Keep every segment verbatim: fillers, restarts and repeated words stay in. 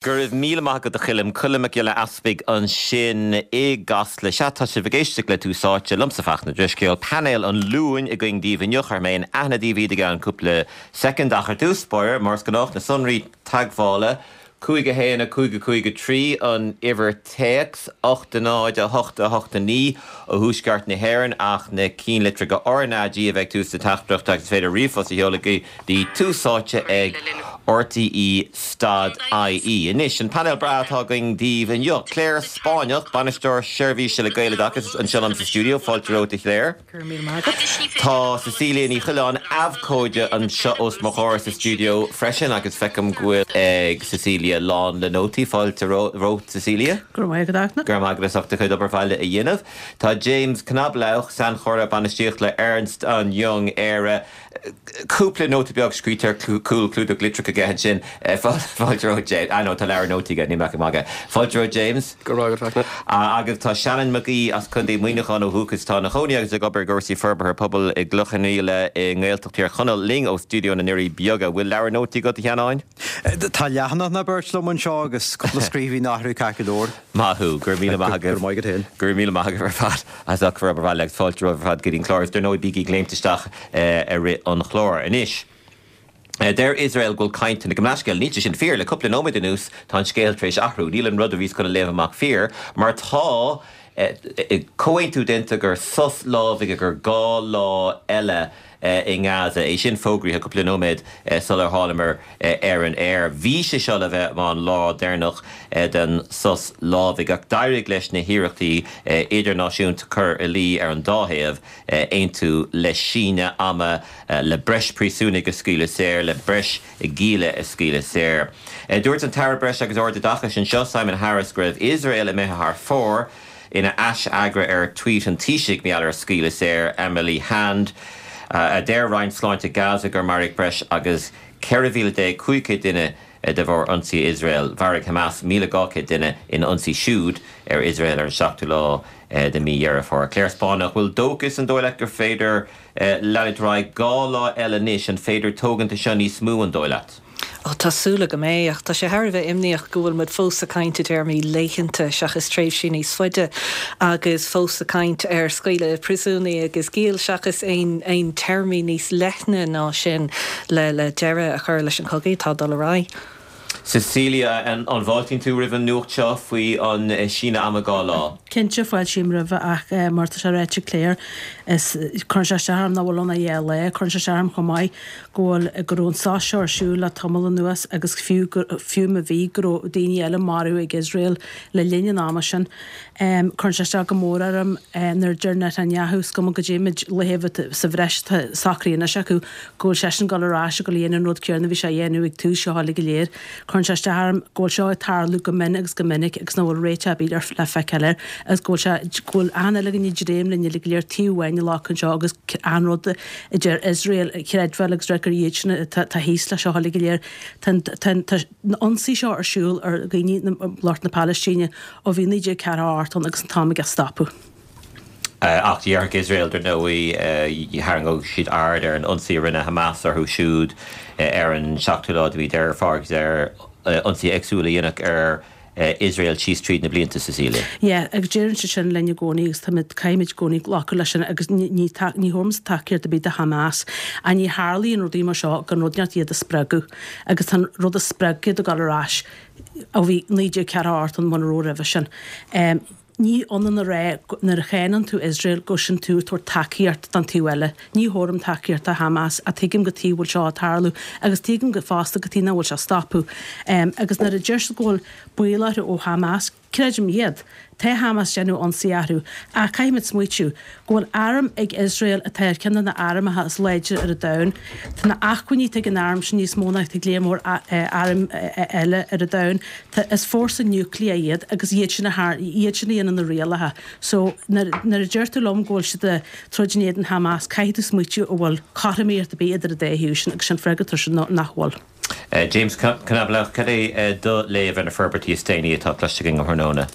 Go raibh míle maith agat a Choilm Colm Mac Giolla Easpaig ansin i gCasla. Sea tá sibh ag éisteacht le Tús Áite liomsa Fachtna Drisceoil painéal an Luain againn daoibh inniu cuirfidh mé in aithne daoibh iad i gceann cúpla soicind ach ar dtús báire mar is gnách na sonraí teagmhála. Cúig a haon a cúig a cúig a trí an uimhir téacs ocht a náid a hocht a hocht a naoi ó thuaisceart na hÉireann ach na ceannlitreacha RnaG a bheith ag tús na teachtaireachta agus is féidir ríomhphost a sheoladh go dtí Tús Áite ag RTÉ dot IE. Anois an painéal breá atá againn daoibh inniu. Claire Spáinneach, bainisteoir seirbhíse le Gaeloideachas anseo liom sa stiúideo, fáilte romhat a Claire. Tá Cecilia Ní Choileáin abhcóide anseo os mo chomhair sa stiúideo freisin agus feicim go bhfuil ag Cecilia lán le nótaí fáilte romhat Cecilia. Go raibh maith agat. Go raibh maith agat as ucht do chuid obair bhaile a dhéanamh. Tá James Knoblauch sainchomhairleoir bainistíochta le Ernst and Young Éire. Cúpla nóta beag scríte ar cúl clúdach litreach aige ansin fáilte romhat James. Ah no tá leabhar nótaí aige ní maith go maith. Fáilte romhat James. Go raibh maith agat. Agus tá Seanán Mac Aoidh as Contae Mhuineacháin ó dhúchas tá ina chónaí agus ag obair i gcúrsaí forbartha pobail i gCloich Cheann Fhaola i nGaeltacht Thír Chonaill linn ó stiúideo na nDoirí Beaga. Bhfuil leabhar nótaí agat a Sheanáin? Tá leathanach nó beirt liom anseo agus cúpla scríbhinn athrú ceart go leor. Maith thú, go raibh míle maith agat. Go raibh maith agat féin. Go raibh míle maith agat ar fad as ucht bhur obair bhaile agus fáilte romhaibh ar fad go dtí an clár. Is dar ndóigh bígí ag léimt isteach i rith an chláir. Anois, deir Iosrael go bhfuil cainteanna go leathscéal níl sé sin fíor le cúpla nóiméad anuas tá an scéal tar éis athrú. Níl an rud a bhíos chun a léamh amach fíor, mar tá comhaontú déanta gur sos lámhaigh gur dhá lá eile i nGaza é sin fógraithe cúpla nóiméad sular thángamar ar an aer. Bhí sé seo le bheith mar an lá deireanach den sos lámhaigh ach d'éirigh leis na hiarrachtaí idirnáisiúnta cur i luí ar an dá thaobh aontú le síneadh ama le breis príosúnaigh a scaoileadh saor le breis gialla a scaoileadh saor. Dúirt an tAire Breis agus Ardoideachais anseo Simon Harris go raibh Iosrael imithe thar fóir ina aisfhreagra ar tweet an Taoisigh mar gheall ar scaoileadh saor Emily Hand. A deir Roinn Sláinte Gaza gur maraíodh breis agus ceithre mhíle déag cúig chéad duine de bharr ionsaí Iosrael. Mharaigh Hamas míle dhá chéad duine ina ionsaí siúd ar Iosrael ar an seachtú lá de mí Dheireadh Fómhair. Claire Spáinneach bhfuil dóchas an dóigh leat gur féidir leanúint ar aghaidh dhá lá eile anois an féidir tógaint seo níos mó an dóigh leat. Ó tá súil agam é ach tá sé thar a bheith imníoch go bhfuil muid fós ag caint i dtéarmaí laethanta seachas tréimhsí níos faide agus fós ag caint ar scaoileadh príosúnaigh agus giall seachas aon aon téarmaí níos leithne ná sin le le deireadh a chur leis an chogadh atá dul ar aghaidh. Cecilia an an bhfáiltíonn tú roimh an nuacht seo faoi an síneadh ama dhá lá. Cinnte fáiltím roimhe ach mar tá sé ráite Claire is cuireann sé isteach orm nach bhfuil ann ach dhá lá, cuireann sé isteach orm chomh maith go bhfuil go raibh an sos seo ar siúl le tamall anuas agus fiú fiú má bhí go raibh daoine eile maraithe ag Iosrael le linn an ama sin. Cuireann sé isteach go mór orm nuair a deir Netanyahu is cuma goidé méid laetha sa bhreis atá socraithe anois acu go bhfuil seisean ag dul ar ais ag dul a dhéanamh an rud céanna a bhí sé a dhéanamh ag tús seo uilig go léir. Cuireann sé isteach orm go bhfuil seo ag tarlú go mion agus go minic agus nach bhfuil réiteach ar bith le feiceáil air agus go bhfuil sé go bhfuil achan uile dhuine ag dréim linn uilig go léir taobh amháin a ghlacadh anseo agus achan rud a deir Iosrael a chreidbheáil agus rá gur iad sin atá thíos leis seo uilig go léir. Tá an ionsaí seo ar siúl ar dhaoine lucht na Palaistíne ó bhí naoi déag ceathracha a hocht ann agus an t-am aige stopadh. Ach déarfadh Iosrael dar ndóigh tharraingeodh siad aird ar an ionsaí a rinne Hamas orthu siúd ar an seachtú lá de mhí Deireadh Fómhair agus ar ionsaithe éagsúla a dhéanadh ar Iosrael síos tríd na blianta Cecilia. Yeah, agus deireann siad sin linn i gcónaí agus táimid caithfimid i gcónaí glacadh leis sin agus ní ní ní thabharfaimid tacaíocht ar bith do Hamas ach ní tharlaíonn rudaí mar seo gan rud inteacht iad a spreagadh agus tá an rud a spreag iad ag dul ar ais ó bhí naoi déag ceathracha a hocht ann muna raibh roimhe sin. Ní ionann a rá nuair a cháineann tú Iosrael go sin tú ag tabhairt tacaíocht don taobh eile. Ní thabharfainn tacaíocht do Hamas ach tuigim cad chuige a bhfuil seo ag tarlú agus tuigim go fosta cad chuige nach bhfuil sé ag stopadh. Agus nuair a deir siad go bhfuil baol orthu ó Hamas, creidim iad. Tá Hamas ag déanamh ionsaí orthu. Ach caithfimid smaoitiú go bhfuil arm ag Iosrael atá ar cheann de na armacha is láidre ar an domhan. Tá na acmhainní atá ag an arm sin níos mó ná ag léar mór airm eile ar an domhan. Tá is fórsa núicléach iad agus iad sin a iad sin a dhéanann na rialacha. So nuair nuair a deir tú liom go bhfuil siad ag troid in éadan Hamas, caithfidh tú smaoitiú an bhfuil cothromaíocht ar bith idir an dá thaobh sin agus sin freagra sin nach bhfuil. James Knoblauch, cad é do léamh ar na forbairtí is déanaí atá cloiste againn ó thráthnóna?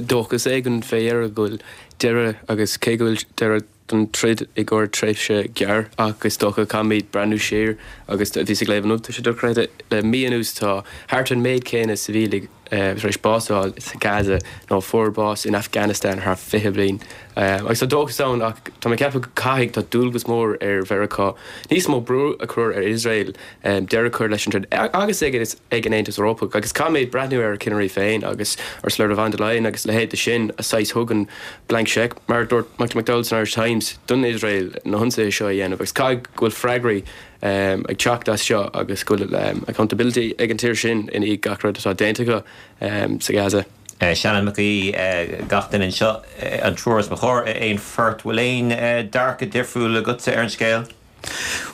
Dóchas éigin fé dheireadh go bhfuil deireadh agus cé go bhfuil deireadh don troid i gcomhair tréimhse gearr ach is dócha caithfimid breathnú siar agus bhíos ag léamh inniu tá sé dochreidte le mí anuas tá thart an méid céanna sibhialaigh tar éis bás a fháil sa Gaza ná fuair bás in Afghanistan thar fiche bliain. Agus tá dóchas ann ach tá mé ceapadh go caithfidh tá dualgas mór ar Mheiriceá níos mó brú a chur ar Iosrael deireadh a chur leis an troid agus ag ag an Aontas Eorpach agus caithfimid breathnú ar a cinnirí féin agus Ursula von der Leyen agus leithéid de sin a saghas thugann blank cheque mar dúirt Michael McDowell san Irish Times don Iosrael na hionsaithe seo a dhéanamh agus caithfidh go bhfuil freagraí um, ag teacht as seo agus go bhfuil um, accountability ag an tír sin in i gach rud atá déanta acu um, sa Gaza. Uh, Seanán Mac Aoidh uh, gach duine anseo uh, an triúr os mo chomhair aon phort bhfuil aon uh, dearcadh difriúil agatsa ar an scéal?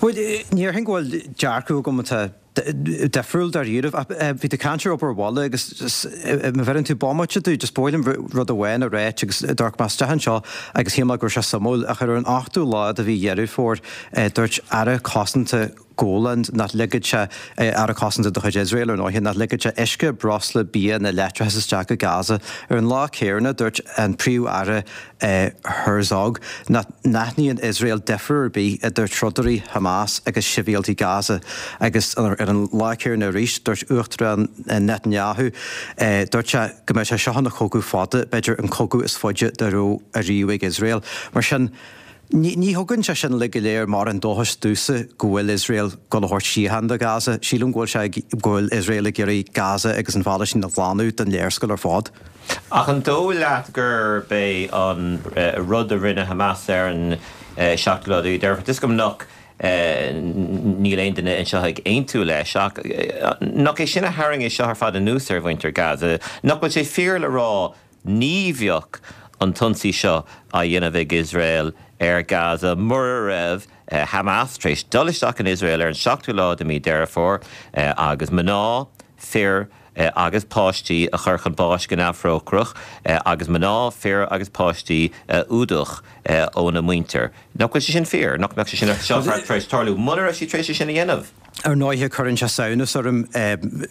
Well, ní hin go bhfuil dearcadh agam atá difriúil dáiríribh bhí tú ag caint ar obair bhaile agus má bheireann tú bomaite domh just ba mhaith liom rud amháin a rá agus dúirt mé isteach anseo agus shíl mé go raibh sé suimiúil ach ar an ochtú lá de mhí Dheireadh Fómhair dúirt aire cosanta Golan nach ligfeadh sé aire cosanta de chuid Iosrael ar ndóigh nach ligfeadh sé uisce breosla bia ná leictreachas isteach go Gaza. Ar an lá céanna dúirt an príomh-aire Herzog nach n-aithníonn Iosrael difear ar bith idir trodairí Hamas agus sibhialtaigh Gaza agus ar an lá céanna arís dúirt Uachtarán Netanyahu dúirt sé go mbeidh sé seo ina chogadh fada b'fhéidir an cogadh is faide dá raibh ariamh ag Iosrael. Mar sin Ní thugann sé sin le go léir mar an dóchas domhsa go bhfuil Iosrael ag dul a thabhairt síocháin do Gaza. Sílim go bhfuil sé go bhfuil Iosrael ag iarraidh Gaza agus an Phalaistín a ghlanadh den léarscáil ar fad. Ach an dóigh leat gurb é an rud a rinne Hamas ar an seachtú lá de Dheireadh Fómhair go nach níl aon duine anseo ag aontú leis ach nach é sin a tharraing é seo ar fad anuas ar mhuintir Gaza, nach bhfuil sé fíor le rá ní bheadh an t-ionsaí seo á dhéanamh ag Iosrael ar Gaza mura raibh Hamas tar éis dul isteach in Iosrael ar an seachtú lá de mhí Deireadh Fómhair agus mná, fir agus páistí a chur chun báis go neamhthrócaireach agus mná, fir agus páistí a fhuadach óna muintir. Nach bhfuil sé sin fíor, nach mbeadh sé sin seo tar éis tarlú mura raibh siad tar éis sin a dhéanamh. Ar ndóighe cuireann sé samhnas orm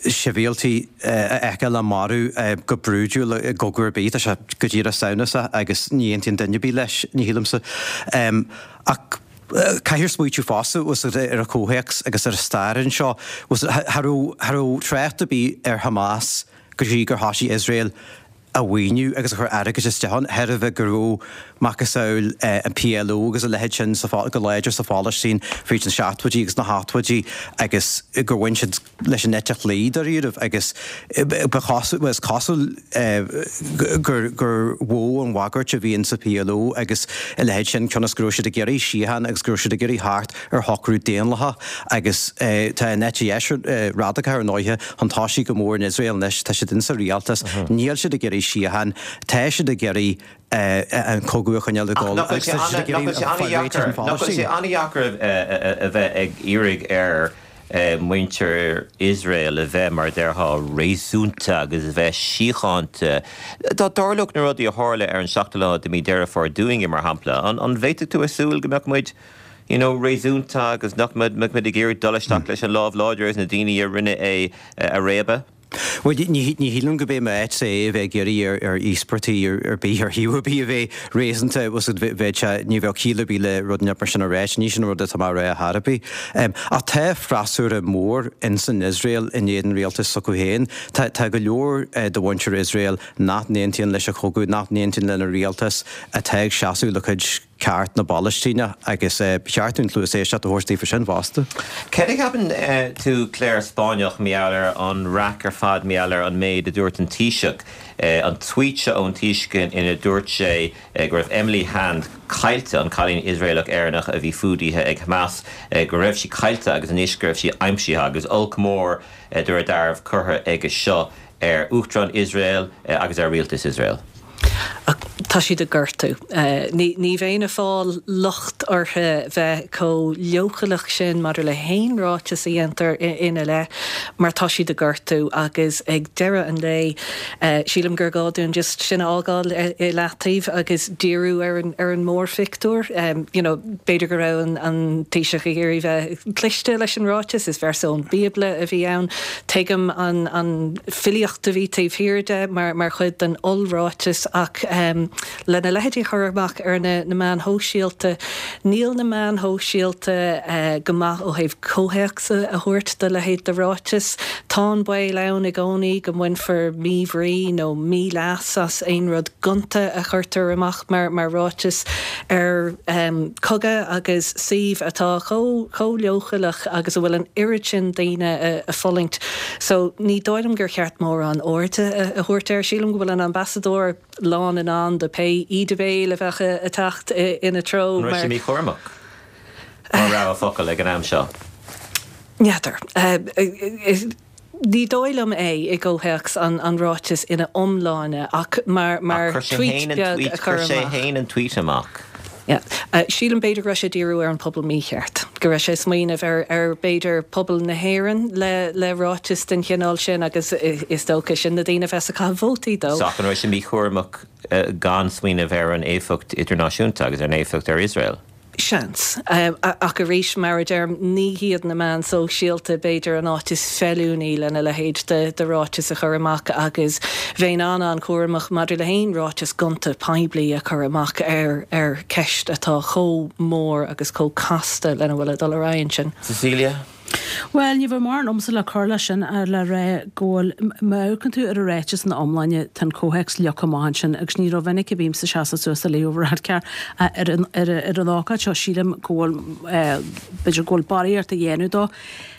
sibhialtaigh a fheiceáil á marú go brúidiúil i gcogadh ar bith, tá sé go díreach samhnasach agus ní aontaíonn duine ar bith leis, ní shílimse. Ach caithfear smaoitiú fosta ar an chomhthéacs agus ar an stair anseo. Cha raibh trácht ar bith ar Hamas go dtí gur thosaigh Iosrael a mhaoiniú agus a chur airgead isteach ann, thairbhe go raibh macasamhail an PLO agus a leithéid sin go láidir sa Phalaistín fríd na seachtóidí agus na hochtóidí agus gur bhain siad leis an eite chlé dáiríribh agus ba chosúil is cosúil gur gur mhó an bhagairt a bhí in sa PLO agus a leithéid sin cionn is go raibh siad ag iarraidh síocháin agus go raibh siad ag iarraidh theacht ar shocrú daonlathach agus tá an eite dheis radacach ar ndóighe chun tosaigh go mór in Iosrael anois, tá siad insa rialtas, níl siad ag iarraidh síocháin, tá siad ag iarraidh an cogadh a choinneáil ag dul agus tá siad ag iarraidh fáil réidh leis an Nach bhfuil sé an-deacair a bheith ag iarraidh ar muintir Iosrael a bheith mar a déarfá réasúnta agus a bheith síochánta. Dá dtarlódh na rudaí a tharla ar an seachtú lá de mhí Deireadh Fómhair dúinne mar shampla, an bhféadfadh tú a súil go mbeadh muid you know, réasúnta agus nach mbeadh muid ag iarraidh dul isteach leis an lámh láidir agus na daoine a rinne é a réabadh? Bhuel, ní shílim go b'é m'áit é a bheith ag iarraidh ar íospartaigh ar bith, ar thaobh ar bith a bheith réasúnta, bheadh sé, ní bheadh ciall ar bith le rud mar sin a ráit, ní sin an rud atá mé a rá ar chor ar bith. Ach tá freasúra mór ins an Iosrael in éadan rialtas s'acu féin. Tá tá go leor de mhuintir Iosrael nach n-aontaíonn leis an chogadh, nach n-aontaíonn lena rialtas, atá ag seasamh le cuid ceart na bPalaistíneach agus ba cheart dúinn cluas éisteachta a thabhairt daofa sin fosta. Céard a cheapann tú Claire Spáinneach mar gheall ar an raic ar fad mar gheall ar an méid a dúirt an Taoiseach, an tweet seo ón Taoiseach ina dúirt sé go raibh Emily Hand caillte, an cailín Iosraelach Éireannach a bhí fuadaithe ag Hamas, go raibh sí caillte agus anois go raibh sí aimsithe agus olc mór de réir dealraimh curtha aige seo ar Uachtarán Iosrael agus ar rialtas Iosrael. Ach tá siad ag gortú. Ní ní bheinn ag fáil locht orthu bheith chomh leochaileach sin maidir le haon ráiteas a dhéantar ina leith mar tá siad ag gortú agus ag deireadh an lae sílim gur gá dúinn just sin a fhágáil i leataobh agus díriú ar an ar an mórphictiúr. You know, b'fhéidir go raibh an an Taoiseach ag iarraidh bheith cliste leis an ráiteas, is véarsa ón Bíobla a bhí ann. Tuigim an an filíocht a bhí taobh thiar de mar mar chuid den ollráiteas ach um, lena leithéidí a chur amach ar na na meáin shóisialta. Níl na meáin shóisialta go maith ó thaobh comhthéacs a thabhairt do leithéid de ráiteas. Tá an baol ann i gcónaí go mbainfear míbhrí nó míleas as aon rud gonta a chuirtear amach mar mar ráiteas ar cogadh agus suíomh atá chomh chomh leochaileach agus a bhfuil an oiread sin daoine ag fulaingt. So ní dóigh liom gur cheart mórán airde a thabhairt air. Sílim go bhfuil an ambasadóir lán in ann do pé íde béil a bheadh ag teacht ina treo. An raibh sé míchúramach mar rogha focal ag an am seo? N'fheadar. Ní dóigh liom é i gcomhthéacs an an ráiteas ina iomláine ach mar mar tweet beag a chur amach. Chuir sé féin an tweet amach. Yeah. Sílim b'fhéidir go raibh sé ag díriú ar an pobal mícheart, go raibh sé ag smaoineamh ar ar b'fhéidir pobal na hÉireann le le ráiteas den chineál sin agus is dócha sin na daoine a bheas ag caitheamh vótaí dó. Ach an raibh sé míchúramach gan smaoineamh ar an éifeacht idirnáisiúnta agus ar an éifeacht ar Iosrael? Seans. Ach arís, mar a deirim, ní hiad na meáin sóisialta b'fhéidir an áit is feiliúnaí lena leithéid de ráiteas a chur amach agus bheinn an-an-chúramach maidir le haon ráiteas gonta poiblí a chur amach ar ar cheist atá chomh mór agus chomh casta lena bhfuil ag dul ar aghaidh ansin. Cecilia? Bhuel, ní bheadh mórán agamsa le cur leis sin ach le rá go bhfuil, má amharcann tú ar an ráiteas ina iomláine, tá an comhthéacs leagtha amach ansin agus ní rómhinic a bhímse ag seasamh suas do Leo Varadkar ach ar an, ar ar an ócáid seo sílim go bhfuil, b'fhéidir go bhfuil barraíocht á dhéanamh dó.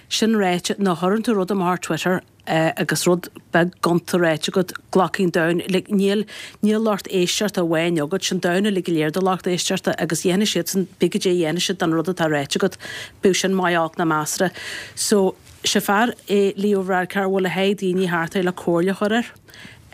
Sin ráite, nuair a chuireann tú rud amach ar Twitter, agus rud beag gonta ráite agat, glacfaidh an domhan, like, níl, níl lucht éisteachta amháin agat, sin domhan uilig go léir do lucht éisteachta agus dhéanfaidh siadsan, pé goidé a dhéanfaidh siad den rud atá ráite agat, bíodh sin maith, olc ná measartha. So, sé fear é Leo Varadkar a bhfuil a sháith daoine thart air le comhairle a chur air.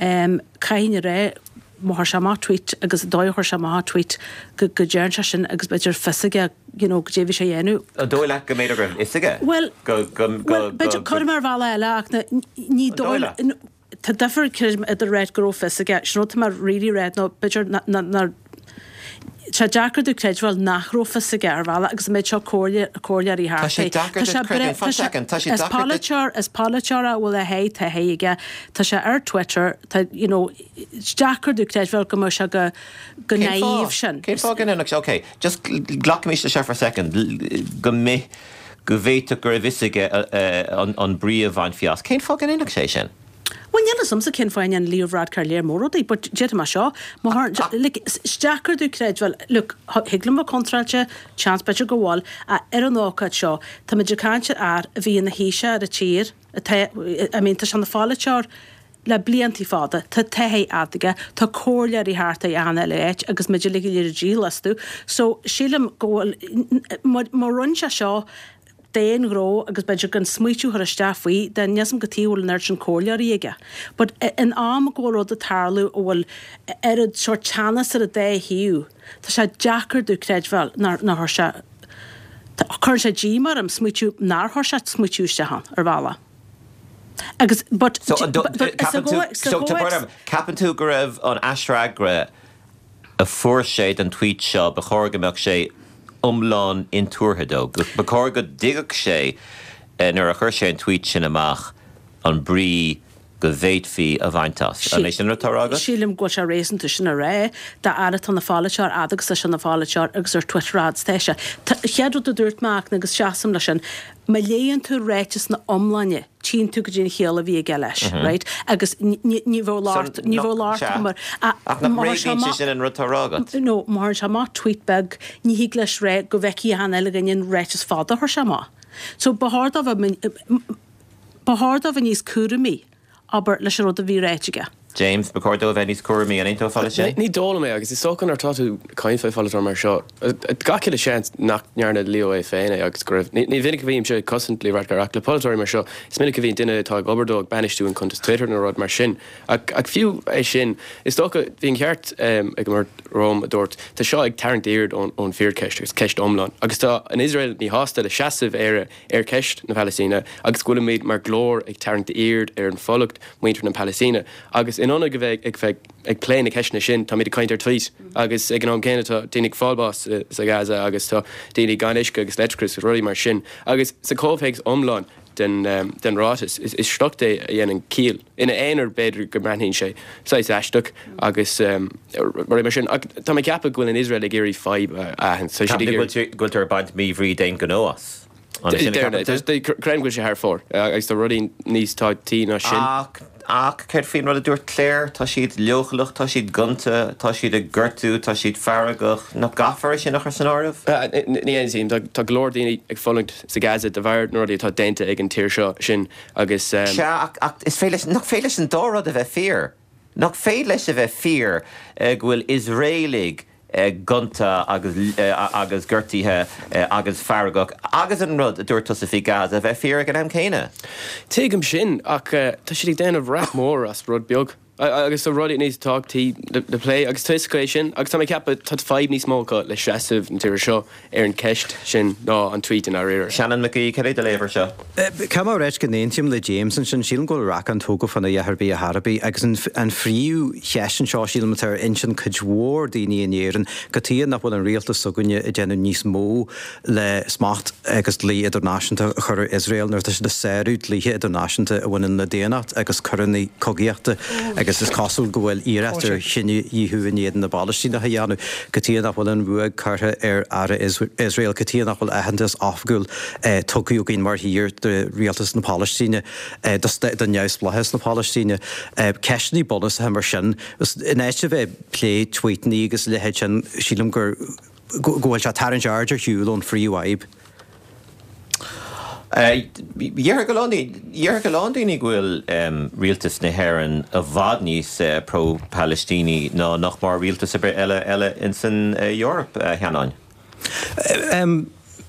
Um, caithfidh a rá, má chuir sé amach tweet agus an dóigh a chuir sé amach an tweet go go dtearn sé sin agus b'fhéidir fios aige you know goidé bhí sé a dhéanamh. An dóigh leat go mb'fhéidir go raibh fhios aige? Bhuel, Go go go bhuel b'fhéidir go cuirim ar bhealach eile ach na ní An dóigh dóigh leat? tá difear creidim idir ráit go raibh fios aige sin rud tá mé really ráit nó b'fhéidir ná ná ná Tá sé deacair domh creidbheáil nach raibh fios aige ar bhealach agus an méid seo comhairle comhairleoirí Tá thart sé é. deacair Tá sé duit bre creidiúint. tá Fan sé second, tá sé is deacair duit. polaiteoir is polaiteoir a bhfuil a sháith taithí aige. Tá sé ar Twitter, tá you know is deacair domh creidbheáil go mbeadh sé go go Cén naive fáth? sin. Cén fáth go ndéanfadh sé? Ok, just glacaimis leis seo for a second, go mbeadh go bhféadfadh go raibh fhios aige an an brí a bhainfí as. Cén fáth go ndéanfadh sé sin? Bhuel, níl fhios a'msa cén fáth a ndéanann Leo Varadkar léir mór rudaí, but déarfaidh mé seo, má tharla, like, is deacair domh creidbheáil, look, thig liom bheith contráilte, seans b'fhéidir go bhfuil, ach ar an ócáid seo, táimid ag caint ar fhear a bhí ina Thaoiseach ar an tír, atá, I mean, tá sé ina pholaiteoir le bliantaí fada, tá taithí fhada aige, tá comhairleoirí thart air achan uile áit agus muid uilig go léir ag díol astu, so sílim go bhfuil, má, má rinne sé seo, d'aon ghnó agus b'fhéidir gan smaoitiú a chur isteach faoi, then níl 'fhios a'm cad chuige a bhfuil an oiread sin comhairleoirí aige. But in am go bhfuil rud ag tarlú a bhfuil oiread sórt teannas ar an dá thaobh, tá sé deacair domh creidbheáil nár nár chuir sé, cuireann sé díomá orm smaoitiú nár chuir sé smaoitiú isteach ann, ar bhealach. Agus but So an but ceapann tú, so tá brón orm, ceapann tú go raibh an aisfhreagra a fuair sé don tweet seo, ba chóir go mbeadh sé iomlán intuartha dó, ba chóir go dtuigfeadh sé nuair a chuir sé an tweet sin amach an brí go bhféadfaí a bhaint as. An é sin an rud atá á rá agat? Sílim go bhfuil sé réasúnta sin a rá, do fhear atá ina pholaiteoir fhad agus tá sé ina pholaiteoir agus ar Twitter fhad is atá sé. Chéad rud a dúirt mé ach agus seasaim leis sin, má léann tú ráiteas ina iomláine, tchíonn tú goidé an chiall a bhí aige leis, right? Agus ní bheadh locht, ní bheadh locht mar, Ach nach mbréagnaíonn sé sin an rud atá á rá agat? No, má chuireann sé amach tweet beag, ní thig leis rá go bhfeicfidh achan uile dhuine an ráiteas fada a chuir sé amach. So ba chóir dó bheith, ba chóir dó bheith níos cúramaí, abair, leis an rud a bhí ráite aige. James, Ba chóir dó a bheith níos cúramaí, an aontófá leis sin? Ní dóigh liom é agus is dócha nuair atá tú ag caint faoi pholaiteoir mar seo, gach uile seans nach ndearna Leo é féin é agus go raibh, ní minic a bhímse ag cosaint Leo Varadkar ach le polaiteoirí mar seo, is minic a bhíonn duine atá ag obair dó ag bainistiú an cuntas Twitter nó rud mar sin. Ach ach fiú é sin, is dócha, bhí an ceart ag an mbeirt romham a dúirt, tá seo ag tarraingt aird ón ón bhfíorcheist agus ceist iomlán agus tá an Iosrael míshásta le seasamh Éire ar cheist na Palaistíne agus go bhfuilimid mar ghlór ag tarraingt aird ar an bhfulaingt muintir na Palaistíne agus in ionad a bheith ag bheith ag plé na ceisteanna sin táimid ag caint ar tweet agus ag an am céanna tá daoine ag fáil bás sa Gaza agus tá daoine gan uisce agus leictreachas agus rudaí mar sin agus sa chomhthéacs iomlán den den ráiteas. Is sliocht é a dhéanann ciall. Ina aonar b'fhéidir go mbreathnaíonn sé saghas aisteach agus rudaí mar sin. Ach tá mé ag ceapadh go bhfuil an Iosrael ag iarraidh fadhb a aithint. Tá siad ag iarraidh. Go bhfuil tú ag baint míbhrí d'aon ghnó as. An sin a cheapann tú? Creidim go bhfuil sé thar fóir agus tá rudaí níos tábhachtaí ná sin. Ach, ach céard faoin rud a dúirt Claire? Tá siad leochaileach, tá siad gonta, tá siad ag gortú, tá siad feargach. Nach gcaithfear é sin a chur san áireamh? Ní aontaím. Tá go leor daoine ag fulaingt sa Gaza de bharr na rudaí atá déanta ag an tír seo, sin agus. Sea, ach, ach is féidir leis, nach féidir leis an dá rud a bheith fíor? Nach féidir leis a bheith fíor go bhfuil Iosraelaigh gonta agus agus gortaithe agus feargach agus an rud a dúirt tusa faoi Gaza a bheith fíor ag an am céanna? Tuigim sin ach tá siad ag déanamh raic mór as rud beag agus tá rudaí níos tábhachtaí le plé agus tá a fhios acu é sin agus tá mé ag ceapadh tá fadhb níos mó acu le seasamh na tíre seo ar an cheist sin ná an tweet i ndáiríre. Seanán Mac Aoidh, cad é do léamh air seo? Caithfidh mé a ráit go n-aontaím le James ansin. Sílim go bhfuil racán tógtha fána dhath ar bith ar chor ar bith agus an phríomhcheist anseo, sílim, atá ar intinn cuid mhór daoine in Éirinn, cad chuige nach bhfuil an rialtas s'againne ag déanamh níos mó le smacht agus dlí idirnáisiúnta a chur ar Iosrael nuair atá siad ag sárú dlíthe idirnáisiúnta a bhaineann le daonnacht agus coireanna cogaíochta agus is cosúil go bhfuil iarracht ar chinedhíothú in éadan na bPalaistíneach a dhéanamh. Cad chuige nach bhfuil an ruaig curtha ar Aire Iosrael? Cad chuige nach bhfuil aitheantas oifigiúil tugtha againn mar thír do rialtas na Palaistíne, do neamhspleáchas na Palaistíne? Ceisteanna bunúsacha mar sin. In áit a bheith ag plé tweetanna agus a leithéid sin, sílim gur go bhfuil sé ag tarraingt aird ar shiúl ón phríomhfhadhb. Déarfadh a lán déarfadh a lán daoine go bhfuil rialtas na hÉireann i bhfad níos pro-Palaistíní ná nach mór rialtas ar bith eile eile ins an Eoraip, a Sheanáin.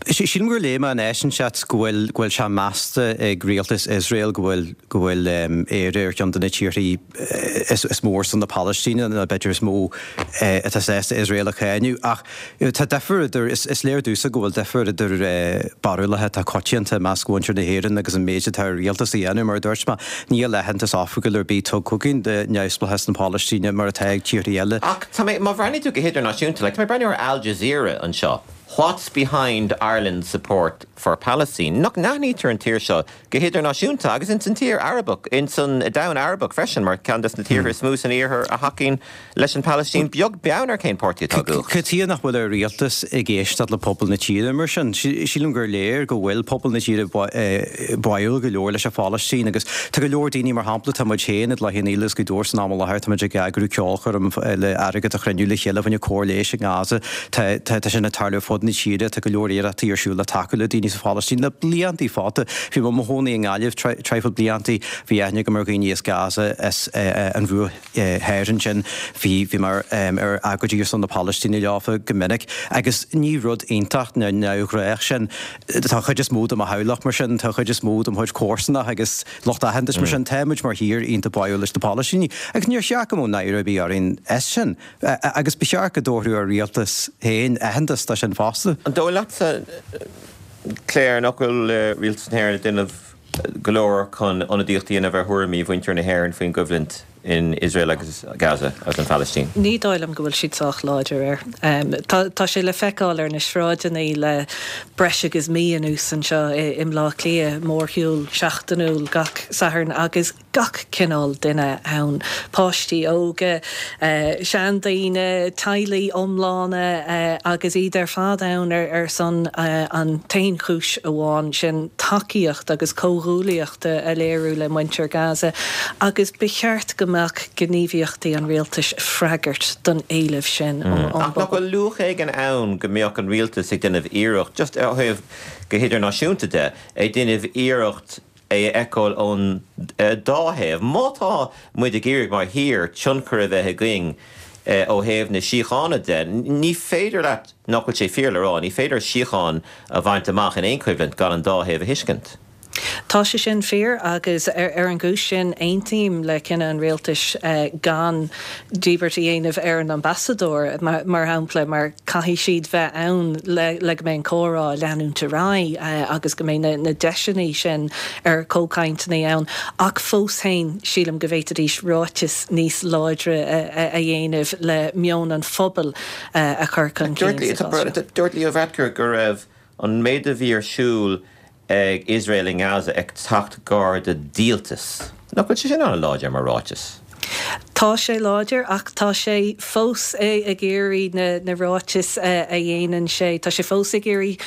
Sílim gur léigh mé in áit inteacht go bhfuil go bhfuil sé measta ag rialtas Iosrael go bhfuil go bhfuil Éire ar cheann de na tíorthaí is is mó ar son na Palaistíne nó b'fhéidir is mó atá sásta Iosrael a cháineadh. Ach tá difear idir, is léir domhsa go bhfuil difear idir barúlacha atá coitianta i measc mhuintir na hÉireann agus an méid atá ar rialtas a dhéanamh. Mar a dúirt mé, níl aitheantas oifigiúil ar bith tugtha againn do neamhspleáchas na Palaistíne mar atá ag tíortha eile. Ach tá mé, má bhreathnaíonn tú go hidirnáisiúnta, like, tá mé ag breathnú ar Al Jazeera anseo, What's behind Ireland's support for Palestine? Nach n-aithnítear an tír seo go hidirnáisiúnta agus ins an tír Arabach, ins an domhan Arabach freisin, mar ceann des na tíortha is mó san iarthar a thacaíonn leis an Phalaistín, beag beann ar cén páirtí atá i gcumhacht. Cad chuige nach bhfuil an rialtas ag éisteacht le pobal na tíre mar sin? Sílim gur léir go bhfuil pobal na tíre báúil go leor leis an Phalaistín agus tá go leor daoine, mar shampla, tá muid féin i gCloich Cheann Fhaola agus Gaoth Dobhair san am i láthair, tá muid ag eagrú ceolchoirm le airgead a chruinniú le chéile fá choinne cóir leighis i nGaza. Tá tá sin ag tarlú ar fud na tíre, tá go leor iarrachtaí ar siúl le tacú le daoine sa Phalaistín le bliantaí fada. Bhí mé i mo chónaí i nGaillimh traidhfil bliantaí, bhí aithne agam ar dhaoine as Gaza, as an Bhruach Thoir ansin, bhí bhí mé ar agóidí ar son na Palaistíne leofa go minic agus ní rud iontach ná neamhghnách sin. Tá an chuid is mó de mo theaghlach mar sin, tá an chuid is mó de mo chuid comharsanach agus lucht aitheantais mar sin, tá muid mar thír iontach báúil leis na Palaistínigh agus níor cheart go mbeadh náire ar bith orainn as sin. Agus ba cheart go dtabharfadh ár rialtas féin aitheantas dó sin fosta. An dóigh leatsa, Claire, nach bhfuil rialtas na hÉireann ag déanamh go leor chun ionadaíocht a dhéanamh ar thuairimí mhuintir na hÉireann faoin gcoimhlint in Iosrael agus Gaza agus an Phalaistín? Ní dóigh liom go bhfuil siad sách láidir air. Tá sé le feiceáil ar na sráideanna le breis agus mí anuas anseo i mBleá Cliath, mórshiúl seachtainiúil gach Satharn agus gach cineál duine ann, páistí óga, seandaoine, teaghlaigh iomlána agus iad ar fad ann ar son an t-aon chúis amháin, sin tacaíocht agus comhghuaillíocht a léiriú le muintir Gaza agus ba cheart go mbeadh gníomhaíochtaí an rialtais ag freagairt don éileamh sin ón Ach nach bpobal. bhfuil luach éigin ann go mbeadh an rialtas ag déanamh iarracht, just ó thaobh go hidirnáisiúnta de, ag déanamh iarracht é a fheiceáil ón dá thaobh. Má tá muid ag iarraidh mar thír tionchar a bheith againn ó thaobh na síochána de, ní féidir leat, nach bhfuil sé fíor le rá, ní féidir síocháin a bhaint amach in aon choimhlint gan an dá thaobh a thuiscint. Tá sé sin fíor agus ar an gcúis sin aontaím le cinneadh an rialtais gan díbirt a dhéanamh ar an ambasadóir, mar shampla, mar caithfidh siad bheith ann le go mbeidh an comhrá ag leanúint ar aghaidh agus go mbeidh na deiseanna sin ar comhchainteanna ann. Ach fós féin, sílim go bhféadfaidís ráiteas níos láidre a dhéanamh le meon an phobail a chur chun cinn sa chás seo. Dúirt Leo Varadkar go raibh an méid a bhí ar siúl ag Iosrael i nGaza ag teacht gar do dhíoltas. Nach bhfuil sé sin an-láidir mar ráiteas? Tá sé láidir ach tá sé fós ag iarraidh na, na ráitis a dhéanann sé. Tá sé fós ag iarraidh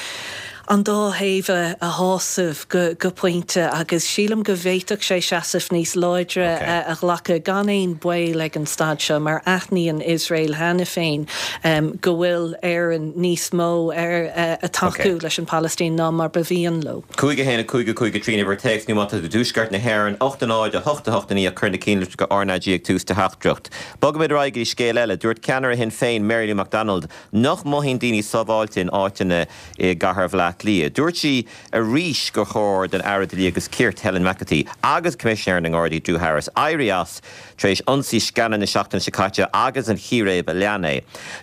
an dá thaobh a shásamh go, go pointe agus sílim go bhféadfadh sé seasamh níos láidre okay. a ghlacadh gan aon baol ag an staid seo mar aithníonn Iosrael cheana féin um, go bhfuil Éirinn níos mó ar uh, a tacú okay. leis an Palestine ná mar ba mhian leo. Cúig a haon a cúig a cúig a trí uimhir téacs nó má tá tú i dtuaisceart na hÉireann, ocht a náid a hocht a hocht a naoi cuir na cinnlitreacha R na G ag tús do theachtaireacht. Bogaimid ar aghaidh go dtí scéal eile, dúirt ceannaire Shinn Féin Mary Lou McDonald nach mothaíonn daoine sábháilte in áiteanna i gcathair Bhaile Átha Cliath. Dúirt sí arís gur chóir don Aire Dlí agus Cirt Helen McEntee agus Coimisinéir na nGardaí Drew Harris éirí as tar éis ionsaí scanraithe na seachtaine seo caite agus an chíréib a lean é.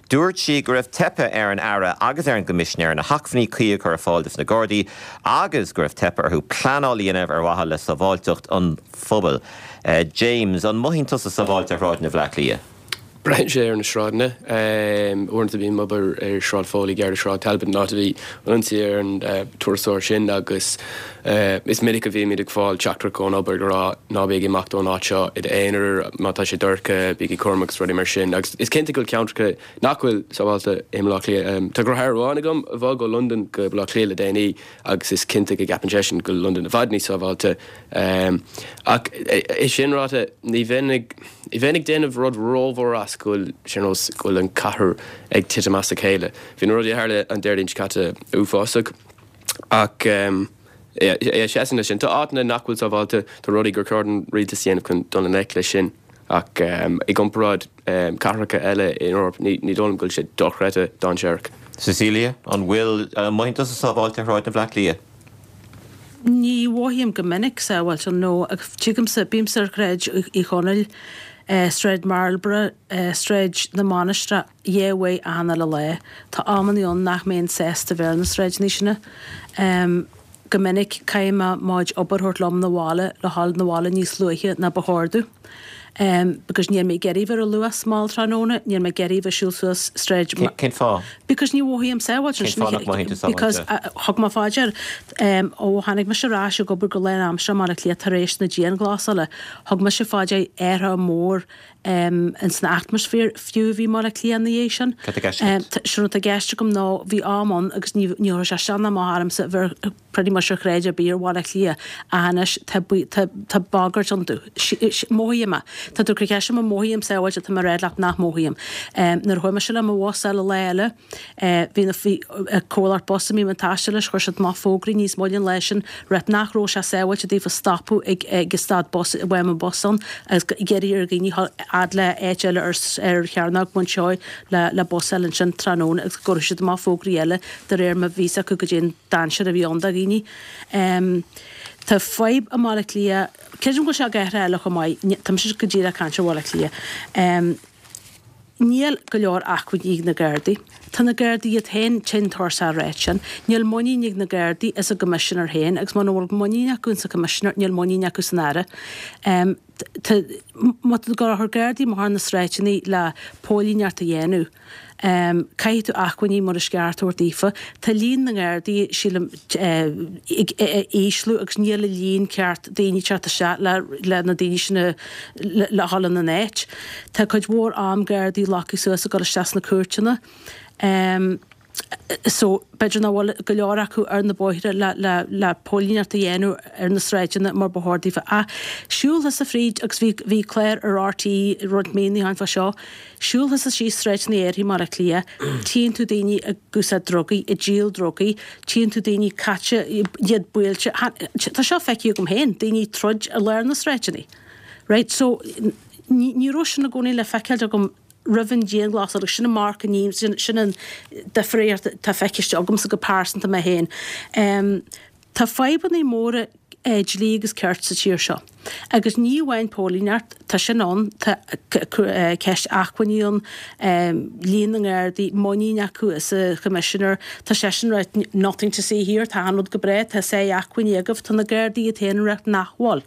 Dúirt sí go raibh teipthe ar an Aire agus ar an gCoimisinéir na hacmhainní cuí a chur ar fáil dos na Gardaí agus go raibh teipthe orthu pleanáil a dhéanamh ar mhaithe le sábháilteacht an phobail. Uh, James, an mothaíonn tusa sábháilte ar shráideanna Bhaile Átha Cliath? Braitheann sé ar na sráideanna. Uaireanta bím ag obair ar Shráid Foley gar do Shráid Talbot an áit a bhí an ionsaí ar an turasóir sin agus is minic a bhímid ag fáil teachtaireacht ón obair ag rá ná bí ag imeacht ón áit seo i d'aonar má tá sé dorcha bígí cúramach agus rudaí mar sin. Agus is cinnte go bhfuil ceantracha nach bhfuil sábháilte i mBaile Átha Cliath. Tá deartháir amháin agam a bhog ó Londain go Baile Átha Cliath le déanaí agus is cinnte go gceapann seisean go bhfuil Londain i bhfad níos sábháilte. Ach é sin ráite ní bheinn ag ní bheinn ag déanamh rud rómhór as go bhfuil sé nós go bhfuil an cathair ag titim as a chéile. Bhí na rudaí a tharla an Déardaoin seo caite uafásach ach um, é seasann sin. Tá áiteanna nach bhfuil sábháilte tá rudaí gur chóir don rialtas a dhéanamh chun dul i ngleic leis sin ach um, i gcomparáid um, cathracha eile in Eoraip ní ní dóigh liom go bhfuil sé dochreidte dainséarach. Cecilia, an bhfuil uh, mothaíonn tusa sábháilte ar shráideanna Bhaile Átha Cliath? Ní mhothaím go minic sábháilte nó tuigimse bímse ar Shráid Uí Chonaill, Sráid Marlborough, Sráid na Mainistreach dhá uair achan uile lá. Tá amanna ann nach mbeinn sásta bheith ar na sráideanna sin. Go minic caithfidh mé mo chuid obair a thabhairt liom 'na bhaile le dhul 'na bhaile níos luaithe ná ba chóir domh. Because níl mé ag iarraidh bheith ar an Luas mall tráthnóna, níl mé ag iarraidh bheith ag siúl suas sráid Cén fáth? Because ní mhothaím sábháilte. Cén fáth nach mothaíonn tú sábháilte? Because thug mé faoi dear ó tháinig mise ar ais ag obair go lánaimseartha i mBaile Átha Cliath tar éis na dianghlasála, thug mise faoi dear athrú mór ins an atmaisféar fiú a bhí i mBaile Átha Cliath ina dhiaidh sin. Cad tá i gceist agat? Sin rud atá i gceist agam ná bhí am ann agus ní ní raibh sé isteach ná amach ormsa bheith pretty much ar shráid ar bith ar Bhaile Átha Cliath ach anois tá tá tá bagairt iontu. Mothaím é. Tá tú ag cur ceist orm an mothaím sábháilte tá mé ag rá leat nach mothaím. Nuair a chuaigh mise le mo bhus eile lá eile bhí na bhí comhlacht bus a mbím ag taisteal leis chuir siad amach fógraí níos moille an lá sin rá nach raibh sé sábháilte daofa stopadh ag ag stad bus a bhfuil an bus ann agus iarraidh ar dhaoine fhad le áit eile ar ar Chearnóg Mhuinseo le le bus eile ansin tráthnóna agus go gcuirfidh siad amach fógraí eile de réir mar bhí acu go dtí an dainséar a bhí ann do dhaoine. Um, tá fadhb i mBaile Átha Cliath, creidim go bhfuil sé i gcathracha eile chomh maith, tá mise go díreach ag caint ar Bhaile Átha Cliath. Um, níl go leor acmhainní ag na Gardaí. Tá na Gardaí iad féin tinn tuirseach ráit sin. Níl muinín ag na Gardaí as an gCoimisinéir féin agus muna bhfuil muinín acu sa Choimisinéir, níl muinín acu san Aire. Um, má tá tú ag gabháil a chur Gardaí amach ar na sráideanna le póilíneacht a dhéanamh. Um, caithfidh tú acmhainní mar is ceart a thabhairt daofa. Tá líon na nGardaí sílim ag ísliú agus níl an líon ceart daoine teacht isteach le, le na daoine sin le, le dhul ina n-áit. Tá cuid mhór am Gardaí glactha suas ag dul isteach sna cúirteanna. Um, so b'fhéidir nach bhfuil go leor acu ar na bóithre le, le, le póilíneacht a dhéanamh ar na sráideanna mar ba chóir daofa. Ach siúl thusa fríd agus bhí, bhí clár ar RTÉ roinnt míonna ó shin fá seo, siúl thusa síos sráideanna áirithe i mBaile Átha Cliath, tchíonn tú daoine ag úsáid drugaí, ag díol drugaí, tchíonn tú daoine caite, iad buailte, tá seo feicthe agam féin, daoine ag troid i lár na sráideanna. Right? So, ní, ní raibh sin i gcónaí le feiceáil agam roimh an dianghlasáil agus sin an marc an ní sin, sin an difríocht atá feicthe agamsa go pearsanta mé féin. Um, tá fadhbanna móra eh, dlí agus cirt sa tír seo. Agus ní amháin póilíneacht, tá sin ann, tá ceist acmhainní ann, líon na nGardaí, muinín acu sa Choimisinéir, tá seisean ag rá nothing to see here, tá an rud go breá, tá sáith acmhainní agaibh, tá na Gardaí iad féin ag rá nach bhfuil.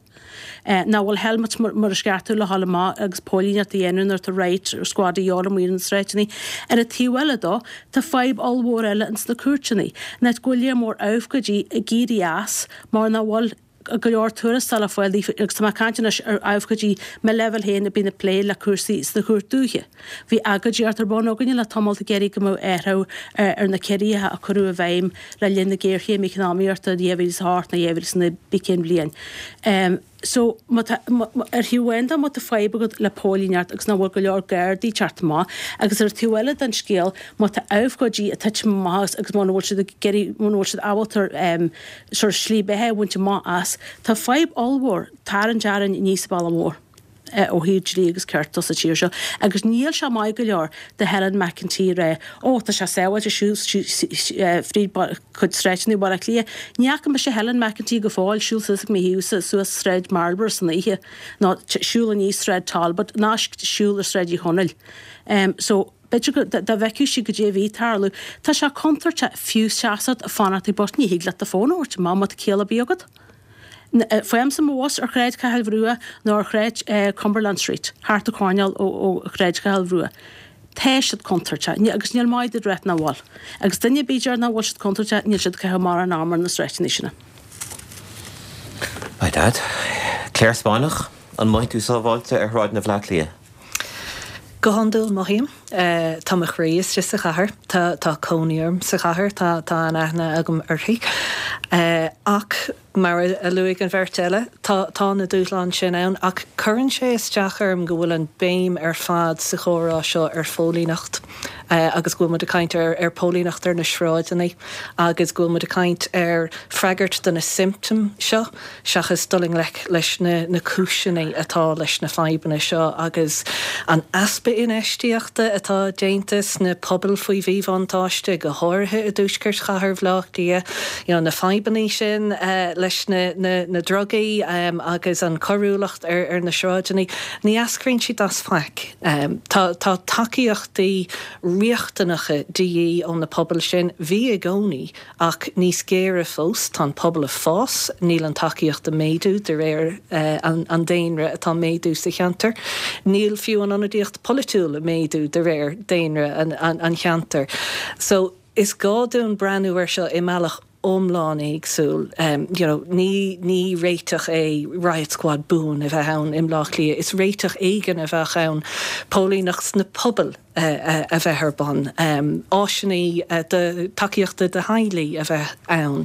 Nach bhfuil helmets mar is ceart le dhul amach agus póilíneacht a dhéanamh nuair atá riot squad a dhíobháil amuigh ar na sráideanna. Ar an taobh eile dó, tá fadhb ollmhór eile ins na cúirteanna, nach go bhfuil léar mór abhcóidí ag éirí as mar nach bhfuil go leor tuarastal le fáil daofa agus tá mé ag caint anois ar abhcóidí mo leibhéal féin a bíonn ag plé le cúrsaí sna Chúirt Dúiche. Bhí agóidíocht ar bun againne le tamall ag iarraidh go mbeadh athrú ar na ciorruithe a cuireadh i bhfeidhm le linn na géarchéime eacnamaíochta in dhá mhíle is a hocht nó dhá mhíle is a naoi pé cén bhliain. So, má tá, ar thaobh amháin de má tá fadhb agat le póilíneacht agus nach bhfuil go leor Gardaí ag teacht amach agus ar an taobh eile den scéal má tá abhcóidí ag titim amach agus muna bhfuil siad ag iarraidh, muna bhfuil siad ábalta sort of slí beatha a bhaint amach as, tá fadhb ollmhór tarraingt orainn aníos an bealach mór ó thaobh dlí agus cirt de sa tír seo agus níl sé maith go leor do Helen McEntee a rá ó tá sé sábháilte siúl fríd cuid sráideanna Bhaile Átha Cliath. Ní fhaca mise Helen McEntee go fóill siúl suas ag mo thaobhsa suas Sráid Marlborough san oíche ná siúl aníos Sráid Talbot ná siúl ar Sráid Uí Chonaill. So b'fhéidir go dá bhfeicfeadh sí goidé a bhí ag tarlú. Tá sé contúirteach fiú seasamh ag fanacht ag bus, ní thig leat do fón a thabhairt amach má tá ciall ar bith agat. Faighimse mo bhus ar Shráid Chathail Bhrugha nó ar Shráid Cumberland Street, thart an choirnéal ó Shráid Chathail Bhrugha. Tá siad contúirteach, agus níl maith duit rá nach bhfuil. Agus duine ar bith a deir nach bhfuil siad contúirteach, níl siad ag caitheamh mórán ama ar na sráideanna sin. My Dad. Claire Spáinneach, an mothaíonn tú sábháilte ar shráideanna Bhaile Átha Cliath? Go hiondúil mothaím. Tá mo chroí istigh sa chathair. Tá tá cónaí orm sa chathair. Tá tá an-aithne agam uirthi. Ach mar a luaigh an bheirt eile, tá tá na dúshláin sin ann ach cuireann sé isteach orm go bhfuil an béim ar fad sa chomhrá seo ar phóilíneacht agus go bhfuil muid ag caint ar ar póilíneacht ar na sráideanna agus go bhfuil muid ag caint ar freagairt do na siomptóim seo seachas dul i ngleic leis na na cúiseanna atá leis na fadhbanna seo agus an easpa infheistíochta atá déanta sna pobail faoi mhíbhuntáiste, go háirithe i dtuaisceart chathair Bhaile Átha Cliath, you know, na fadhbanna sin uh, leis na, na, na drugaí um, agus an choiriúlacht ar, ar na sráideanna, ní eascraíonn siad as faic. Um, tá, tá tacaíochtaí riachtanacha de dhíth ó na pobail sin, bhí i gcónaí ach níos géire fós, tá an pobal ag fás, níl an tacaíocht ag méadú de réir uh, an, an daonra atá ag méadú sa cheantar. Níl fiú an ionadaíocht polaitiúil ag méadú de réir daonra an, an, an cheantar. So is gá dúinn breathnú air seo i mbealach iomlán éagsúil. Um, you know, ní, ní réiteach é riot squad buan a bheith ann i mBaile Átha Cliath, is réiteach éigin a bheadh ann póilíneacht sna pobail uh, a bheith ar bun. Um, áiseanna uh, de tacaíochta do theaghlaigh a bheith ann.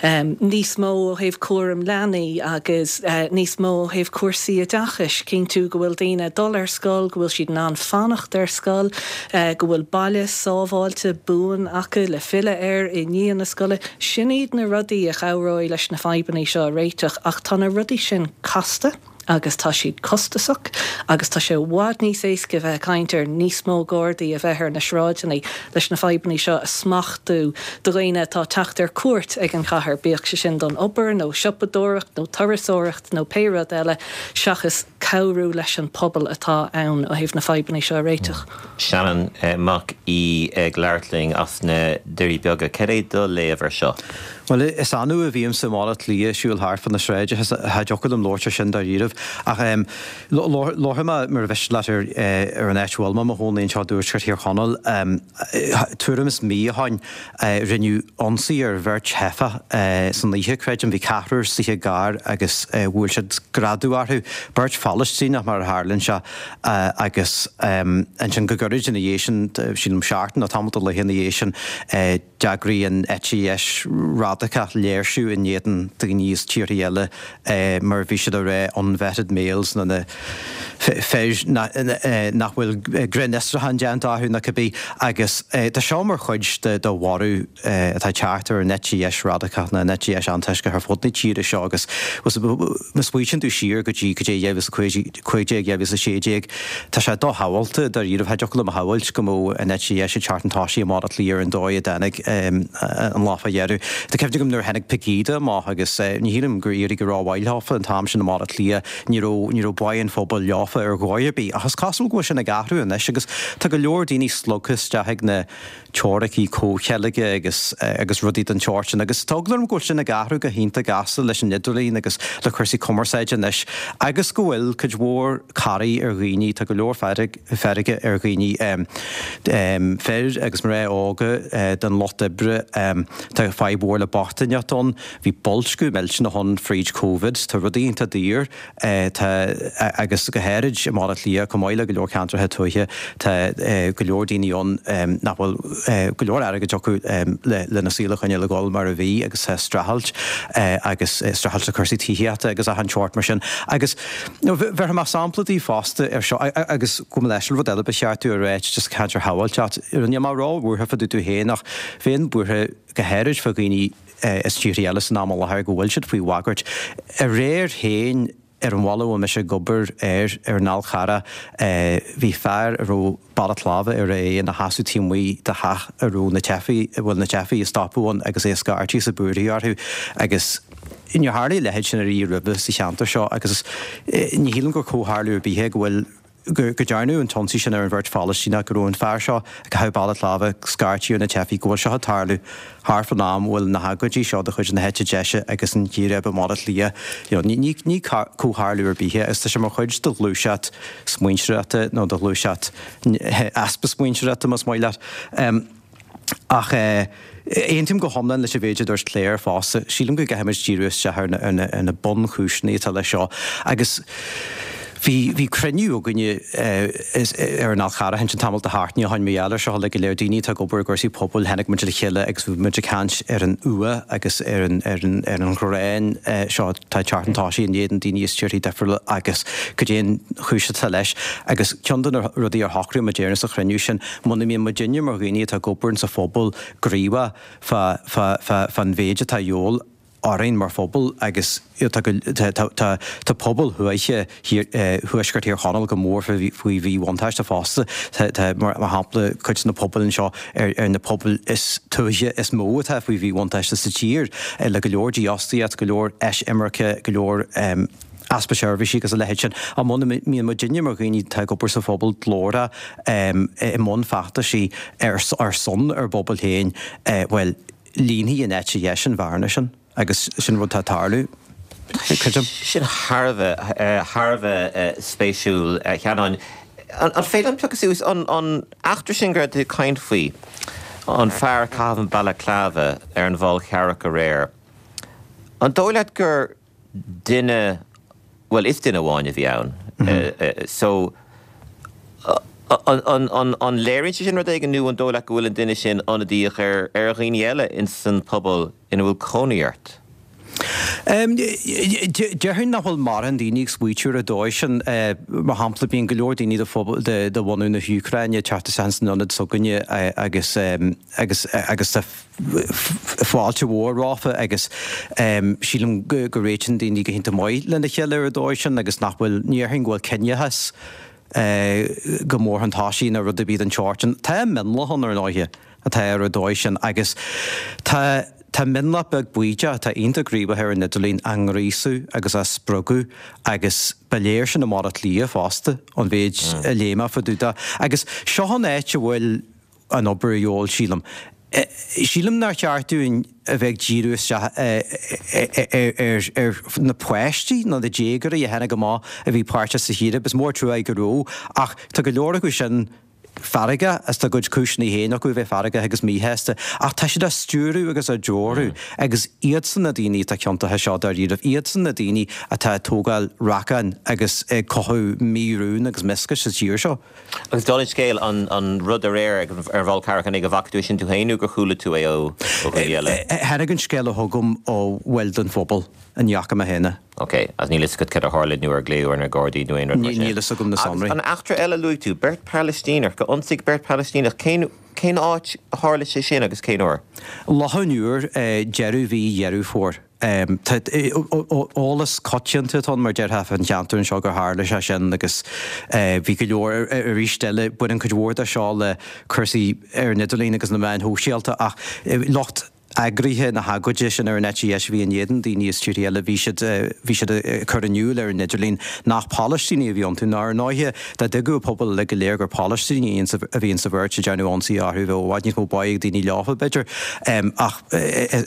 Um, níos mó ó thaobh cúram leanaí agus uh, níos mó ó thaobh cúrsaí oideachais, cinntiú go bhfuil daoine dul ar scoil, go bhfuil siad in ann fanacht ar scoil, uh, go bhfuil baile sábháilte buan acu le filleadh air i ndiaidh na scoile. Sin iad na rudaí a chabhróidh leis na fadhbanna seo a réiteach, ach tá na rudaí sin casta agus tá siad costasach agus tá sé i bhfad níos éasca bheith ag caint ar níos mó Gardaí a bheith ar na sráideanna leis na fadhbanna seo a smachtú do dhaoine atá ag teacht ar cuairt ag an chathair, bíodh sé sin don obair nó siopadóireacht nó turasóireacht nó pé rud eile seachas cabhrú leis an pobal atá ann ó thaobh na fadhbanna seo a réiteach. Seanán Mac Aoidh ag labhairt linn as na Doirí Beaga. Cad é do léamh air seo? Bhuel, is annamh a bhímse i mBaile Átha Cliath ag siúl thart fá na sráideanna, cha dtiocfadh liom labhairt ar sin dáiríribh. Ach labharfaidh mé mar a mhiste leat ar ar an áit a bhfuil mé i mo chónaí anseo i dtuaisceart Thír Chonaill. Tuairim is mí ó shin rinneadh ionsaí ar bheirt theifeach san oíche, creidim. Bhí ceathrar istigh i gcarr agus bhuail siad greadadh orthu, beirt Phalaistíneach mar a tharlaíonn sé, agus ansin go gairid ina dhiaidh sin, sílim seachtain nó tamall de laethe ina dhiaidh sin, D'eagraigh an eite dheis radacach léirsiú in éadan daoine as tíortha eile mar bhí siad ag rá unvetted males nó na fir nach bhfuil grinnfhiosrúchán déanta orthu nó cibé agus tá seo mar chuid de bhorradh atá ag teacht ar an eite dheis radacach nó an eite dheis antoisceach ar fud na tíre seo agus má smaoitíonn tú siar go dtí go dtí dhá mhíle is a cúig déag, dhá mhíle is a sé déag, tá sé doshamhalta dáiríre, cha dtiocfadh liom a shamhailt go mbeadh an eite dheis ag teacht chun tosaigh i mBaile Átha Cliath ar an dóigh a dtáinig. an lá fá dheireadh. Tá cuimhne agam nuair a tháinig Pegida amach agus ní shílim gur éirigh go rómhaith leofa an t-am sin i mBaile Átha Cliath, ní raibh ní raibh baí an phobail leofa ar dhóigh ar bith. Ach is cosúil go bhfuil sin ag athrú anois agus tá go leor daoine slogtha isteach ag na teoiricí comhcheilge agus agus rudaí den tsórt sin agus tá eagla orm go bhfuil sin ag athrú go hiontach gasta leis an idirlíon agus le cúrsaí cumarsáide anois agus go bhfuil cuid mhór corraí ar dhaoine, tá go leor feirge ar dhaoine, fir agus mná óga den lucht oibre, tá fadhb mhór le bochtaineacht ann, bhí boilsciú millteanach ann fríd Covid, tá rudaí iontach daor, tá agus go háirid i mBaile Átha Cliath chomh maith le go leor ceantracha tuaithe, tá go leor daoine ann nach bhfuil go leor airgid acu lena saol a choinneáil ag dul mar a bhí agus tá streachailt agus streachailt le cúrsaí tithíochta agus achan tseort mar sin. Agus bhéarfaidh mé sampla daoibh fosta ar seo agus gabh mo leithscéal rud eile ba cheart domh a ráit just caint ar shábháilteacht. Níl mé ró-bhuartha fá dtaobh domh féin ach bheinn buartha go háirid fá dhaoine as tíortha eile san am i láthair go bhfuil siad faoi bhagairt. Aréir féin ar an bhaile a bhfuil mise ag obair air, ar an Fhál Charrach, bhí fear a raibh balaclava ar a aghaidh ina sheasamh taobh amuigh de theach a raibh na teifigh, a bhfuil na teifigh ag stopadh ann agus é ag scairtigh is ag búirthigh orthu agus níor tharlaigh a leithéid sin ariamh roimhe sa cheantar seo agus ní shílim gur comhtharlú ar bith é go bhfuil go ndearnadh an t-ionsaí sin ar an bheirt Phalaistíneach, go raibh an fear seo ag caitheamh balaclava ag scairtigh ar na teifigh, go bhfuil seo ag tarlú thart fán am a bhfuil na hagóidí seo de chuid na heite deise agus an chíréib i mBaile Átha Cliath. You know, ní, ní comhtharlú ar bith é agus tá sé mar chuid de ghluaiseacht smaointeoireachta nó de ghluaiseacht easpa smaointeoireachta, más maith leat. Ach aontaím go hiomlán leis an mhéid a dúirt Claire fosta. Sílim go gcaithfimid díriú isteach ar na bunchúiseanna atá leis seo. Agus bhí bhí cruinniú againne ar an Fhál Charrach ansin tamall de sheachtainí ó shin mar gheall air seo le go leor daoine atá ag obair i gcúrsaí pobail. Tháinig muid le chéile agus bhí muid ag caint ar an fhuath agus ar an ar an ar an ghráin seo atá ag teacht chun tosaigh in éadan daoine as tíortha difriúla agus cad é an chúis atá leis. Agus ceann de na rudaí ar shocraigh muid air sa chruinniú sin, muna mbíonn muidinne mar dhaoine atá ag obair sa phobal gníomhach fá fá fá fán mhéid atá a dhíobháil orainn mar phobal agus tá tá tá tá pobal thuaithe Thuaisceart Thír Chonaill go mór faoi mhíbhuntáiste fosta. Tá tá mar shampla cuid de na pobail anseo ar ar na pobail is tuaithe is mó atá faoi mhíbhuntáiste sa tír le go leor dífhostaíocht, go leor eisimirce, go leor easpa seirbhísí agus a leithéid sin. Ach muna mbíonn muidinne mar dhaoine atá ag obair sa phobal glórach i mbun feachtaisí ar ar son ár bpobail féin, bhuel, líonfaidh an eite dheis an bhearna sin agus sin rud atá ag tarlú, creidim. Sin thar a bheith, thar a bheith spéisiúil, a Sheanáin. An féidir liom piocadh suas an eachtra sin go raibh tú ag caint faoi, an fear ag caitheamh an balaclava ar an bhFál Charrach aréir? An dóigh leat gur duine, bhuel is duine amháin a bhí ann, so an léiríonn sé sin rud éigin nó an dóigh leat go bhfuil an duine sin ionadaíoch ar dhaoine eile ins an pobal ina bhfuil cónaí ort? Déarfainn nach bhfuil mórán daoine ag smaoitiú ar an dóigh sin. Mar shampla, bíonn go leor daoine de de bhunadh na hÚcráine ag teacht isteach san ionad s'againne agus agus agus tá fáilte mhór rompu agus sílim go go réitíonn daoine go hiontach maith lena chéile ar an dóigh sin agus nach bhfuil, ní déarfainn go bhfuil ciníochas go mór chun tosaigh nó rud ar bith den tsórt sin. Tá mionlach ann ar ndóighe atá ar an dóigh sin agus tá tá mionlach beag baoideach atá iontach gníomhach ar an idirlíon á ngríosadh agus á spreagadh agus ba léir sin i mBaile Átha Cliath fosta ón mhéid a léigh mé fá dtaobh de. Agus seo an áit a bhfuil an obair a dhíobháil, sílim. Sílim nár cheart dúinn a bheith ag díriú isteach ar na páistí nó na déagóirí a tháinig amach a bhí páirteach sa chíréib. Is mór an trua é go raibh, ach tá go leor acu sin feargach agus tá a gcuid cúiseanna féin acu a bheith feargach agus míshásta, ach tá siad á stiúradh agus á dtreorú agus iadsan na daoine atá ciontach seo dáiríribh, iadsan na daoine atá ag tógáil racáin agus ag cothú mí-rún agus mioscais sa tír seo. Agus dála an scéil, an rud aréir ar an bhFál Carrach, an é go bhfaca tú é sin tú féin nó gur chuala tú é ó dhaoine eile? Tháinig an scéala chugam ó bhaill den phobal, ní fhaca mé féin é. Ok, agus níl fhios agat cad a tharla nó ar glaodh ar na Gardaí nó aon rud mar sin? Níl fhios agam na sonraí. Agus an eachtra eile a luaigh tú, beirt Phalaistíneach, gur ionsaíodh beirt Phalaistíneach, cén cén áit a tharla sé sin agus cén uair? Loch an Iúir, deireadh mhí Dheireadh Fómhair. Tá eolas coitianta atá ann mar déarfá fán cheantar anseo gur tharla sé sin agus bhí go leor arís eile baineann cuid mhór de seo le cúrsaí ar an idirlíon agus na meáin shóisialta ach lucht eagraithe na hagóide sin ar an eite dheis a bhí in éadan daoine as tíortha eile bhí siad bhí siad ag cur in iúl ar an idirlíon nach Palaistínigh a bhí iontu ná ar ndóighe dá dtuigfeadh an pobal uilig go léir gur Palaistínigh a bhí insa bheirt a ndearnadh ionsaí orthu bheadh i bhfad níos mó báidh ag daoine leofa b'fhéidir ach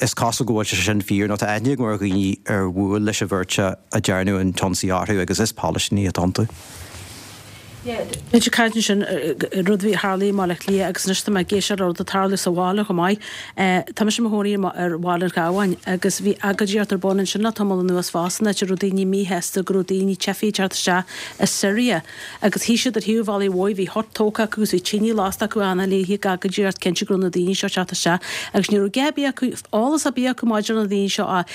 is cosúil go bhfuil sé sin fíor nó tá aithne agam ar dhaoine ar bhuail leis an bheirt a ndearnadh an t-ionsaí orthu agus is Palaistínigh atá iontu. Bhí caint ansin rud a bhí tharla i mBaile Átha Cliath agus anois tá mé ag éisteacht le rud ag tarlú sa bhaile chomh maith. Tá mise i mo chónaí ar Bhaile an Chabháin agus bhí agóidíocht ar bun ansin le tamall anuas fosta áit a raibh daoine míshásta go raibh daoine teifigh ag teacht isteach as Siria agus shuigh siad ar thaobh an bhealaigh mhóir, bhí hut tógtha acu agus bhí tine lasta acu achan oíche ag agóidíocht cinnte go raibh na daoine seo ag teacht isteach agus ní raibh a dhath ar bith acu, eolas ar bith acu maidir le na daoine seo ach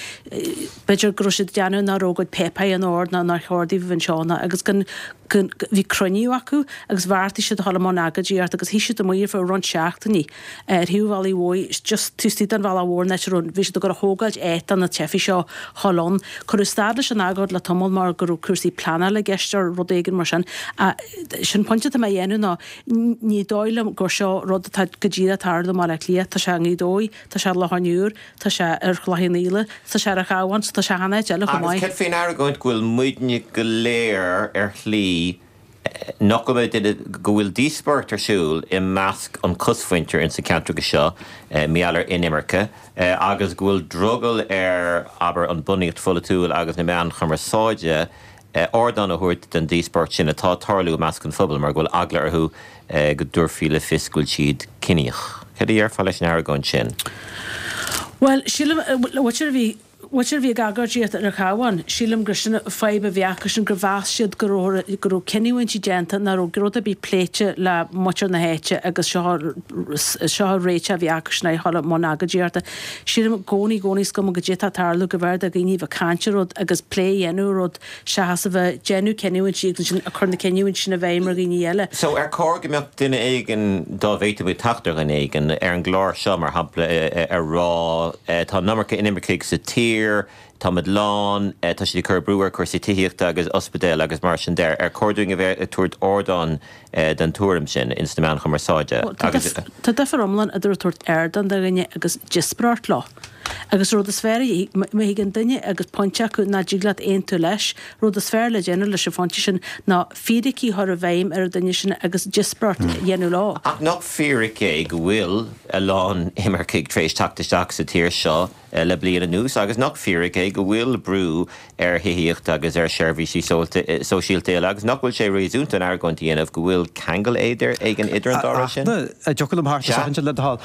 b'fhéidir go raibh siad ag déanamh nach raibh a gcuid páipéir in ord ná nár chóir daoibh a bheith anseo ná agus gan Bhí cruinniú acu agus bheartaigh siad a dhul i mbun agóidíocht agus shuigh siad amuigh ar feadh roinnt seachtainí ar thaobh an bhealaigh mhóir, just taobh istigh den bhealach mhór an áit a raibh, bhí siad ag dul a thógáilt áit do na teifigh seo a dhul ann. Cuireadh stad leis an agóid le tamall mar go raibh cúrsaí pleanála i gceist or rud éigin mar sin. Sin pointe atá mé a dhéanamh ná ní dóigh liom gur seo rud atá go díreach ag tarlú i mBaile Átha Cliath, tá sé i nGaoth Dobhair, tá sé i Loch an Iúir, tá sé ar Chloich Cheann Fhaola, tá sé ar an Chabhán, tá sé achan áit eile chomh Agus maith. cad faoin argóint go bhfuil muidne go léir ar shlí nach bhfuil duine, go bhfuil díospóireacht ar siúl i measc an chosmhuintir ins na ceantracha seo mar gheall ar inimirce agus go bhfuil drogall ar, abair, an bunaíocht pholaitiúil agus na meáin chumarsáide ardán a thabhairt don díospóireacht sin atá ag tarlú i measc an phobail mar go bhfuil eagla orthu go dtabharfaí le fios go bhfuil siad ciníoch. Cad a dhéarfá leis an argóint sin? Bhuel, sílim, b'fhéidir a bhí, b'fhéidir a bhí ag agóidíocht ar an Chabhán, sílim gur sin an fadhb a bhí acusan, gur mheas siad go raibh, go raibh cinniúintí déanta nach raibh rud ar bith pléite le muintir na háite agus seo, seo an réiteach a bhí acusan a dhul i mbun agóidíochta. Sílim i gcónaí, i gcónaí is cuma goidé atá ag tarlú go mb'fhearr do dhaoine a bheith ag caint ar rud agus plé a dhéanamh ar rud seachas a bheith ag déanamh cinniúintí agus ansin ag cur na cinniúintí sin i bhfeidhm ar dhaoine eile. So ar chóir go mbeadh duine éigin, dá bhféadfadh muid teacht ar dhuine éigin, ar an gclár seo mar shampla, ag rá tá an iomarca inimircigh sa tír, táimid lán, tá siad ag cur brú ar chúrsaí tithíochta agus ospidéil agus mar sin de, ar chóir dúinn a bheith ag tabhairt ardán don tuairim sin ins na meáin chumarsáide agus. Tá difear iomlán idir ag tabhairt ardán do dhuine agus díospóireacht leo. Agus rud is fearr, má thigeann duine agus pointe acu nach dtig leat aontú leis, rud is fearr le déanamh leis an phointe sin ná fíricí a chur i bhfeidhm ar an duine sin agus díospóireacht a dhéanamh leo. Ach nach fíric é go bhfuil a lán imircigh tar éis teacht isteach sa tír seo le bliain anuas agus nach fíric é go bhfuil brú ar thithíocht agus ar sheirbhísí sóisialta eile agus nach bhfuil sé réasúnta an argóint a dhéanamh go bhfuil ceangal éigin idir an dá rud sin? An dtiocfadh liom thart soicind le do thoil?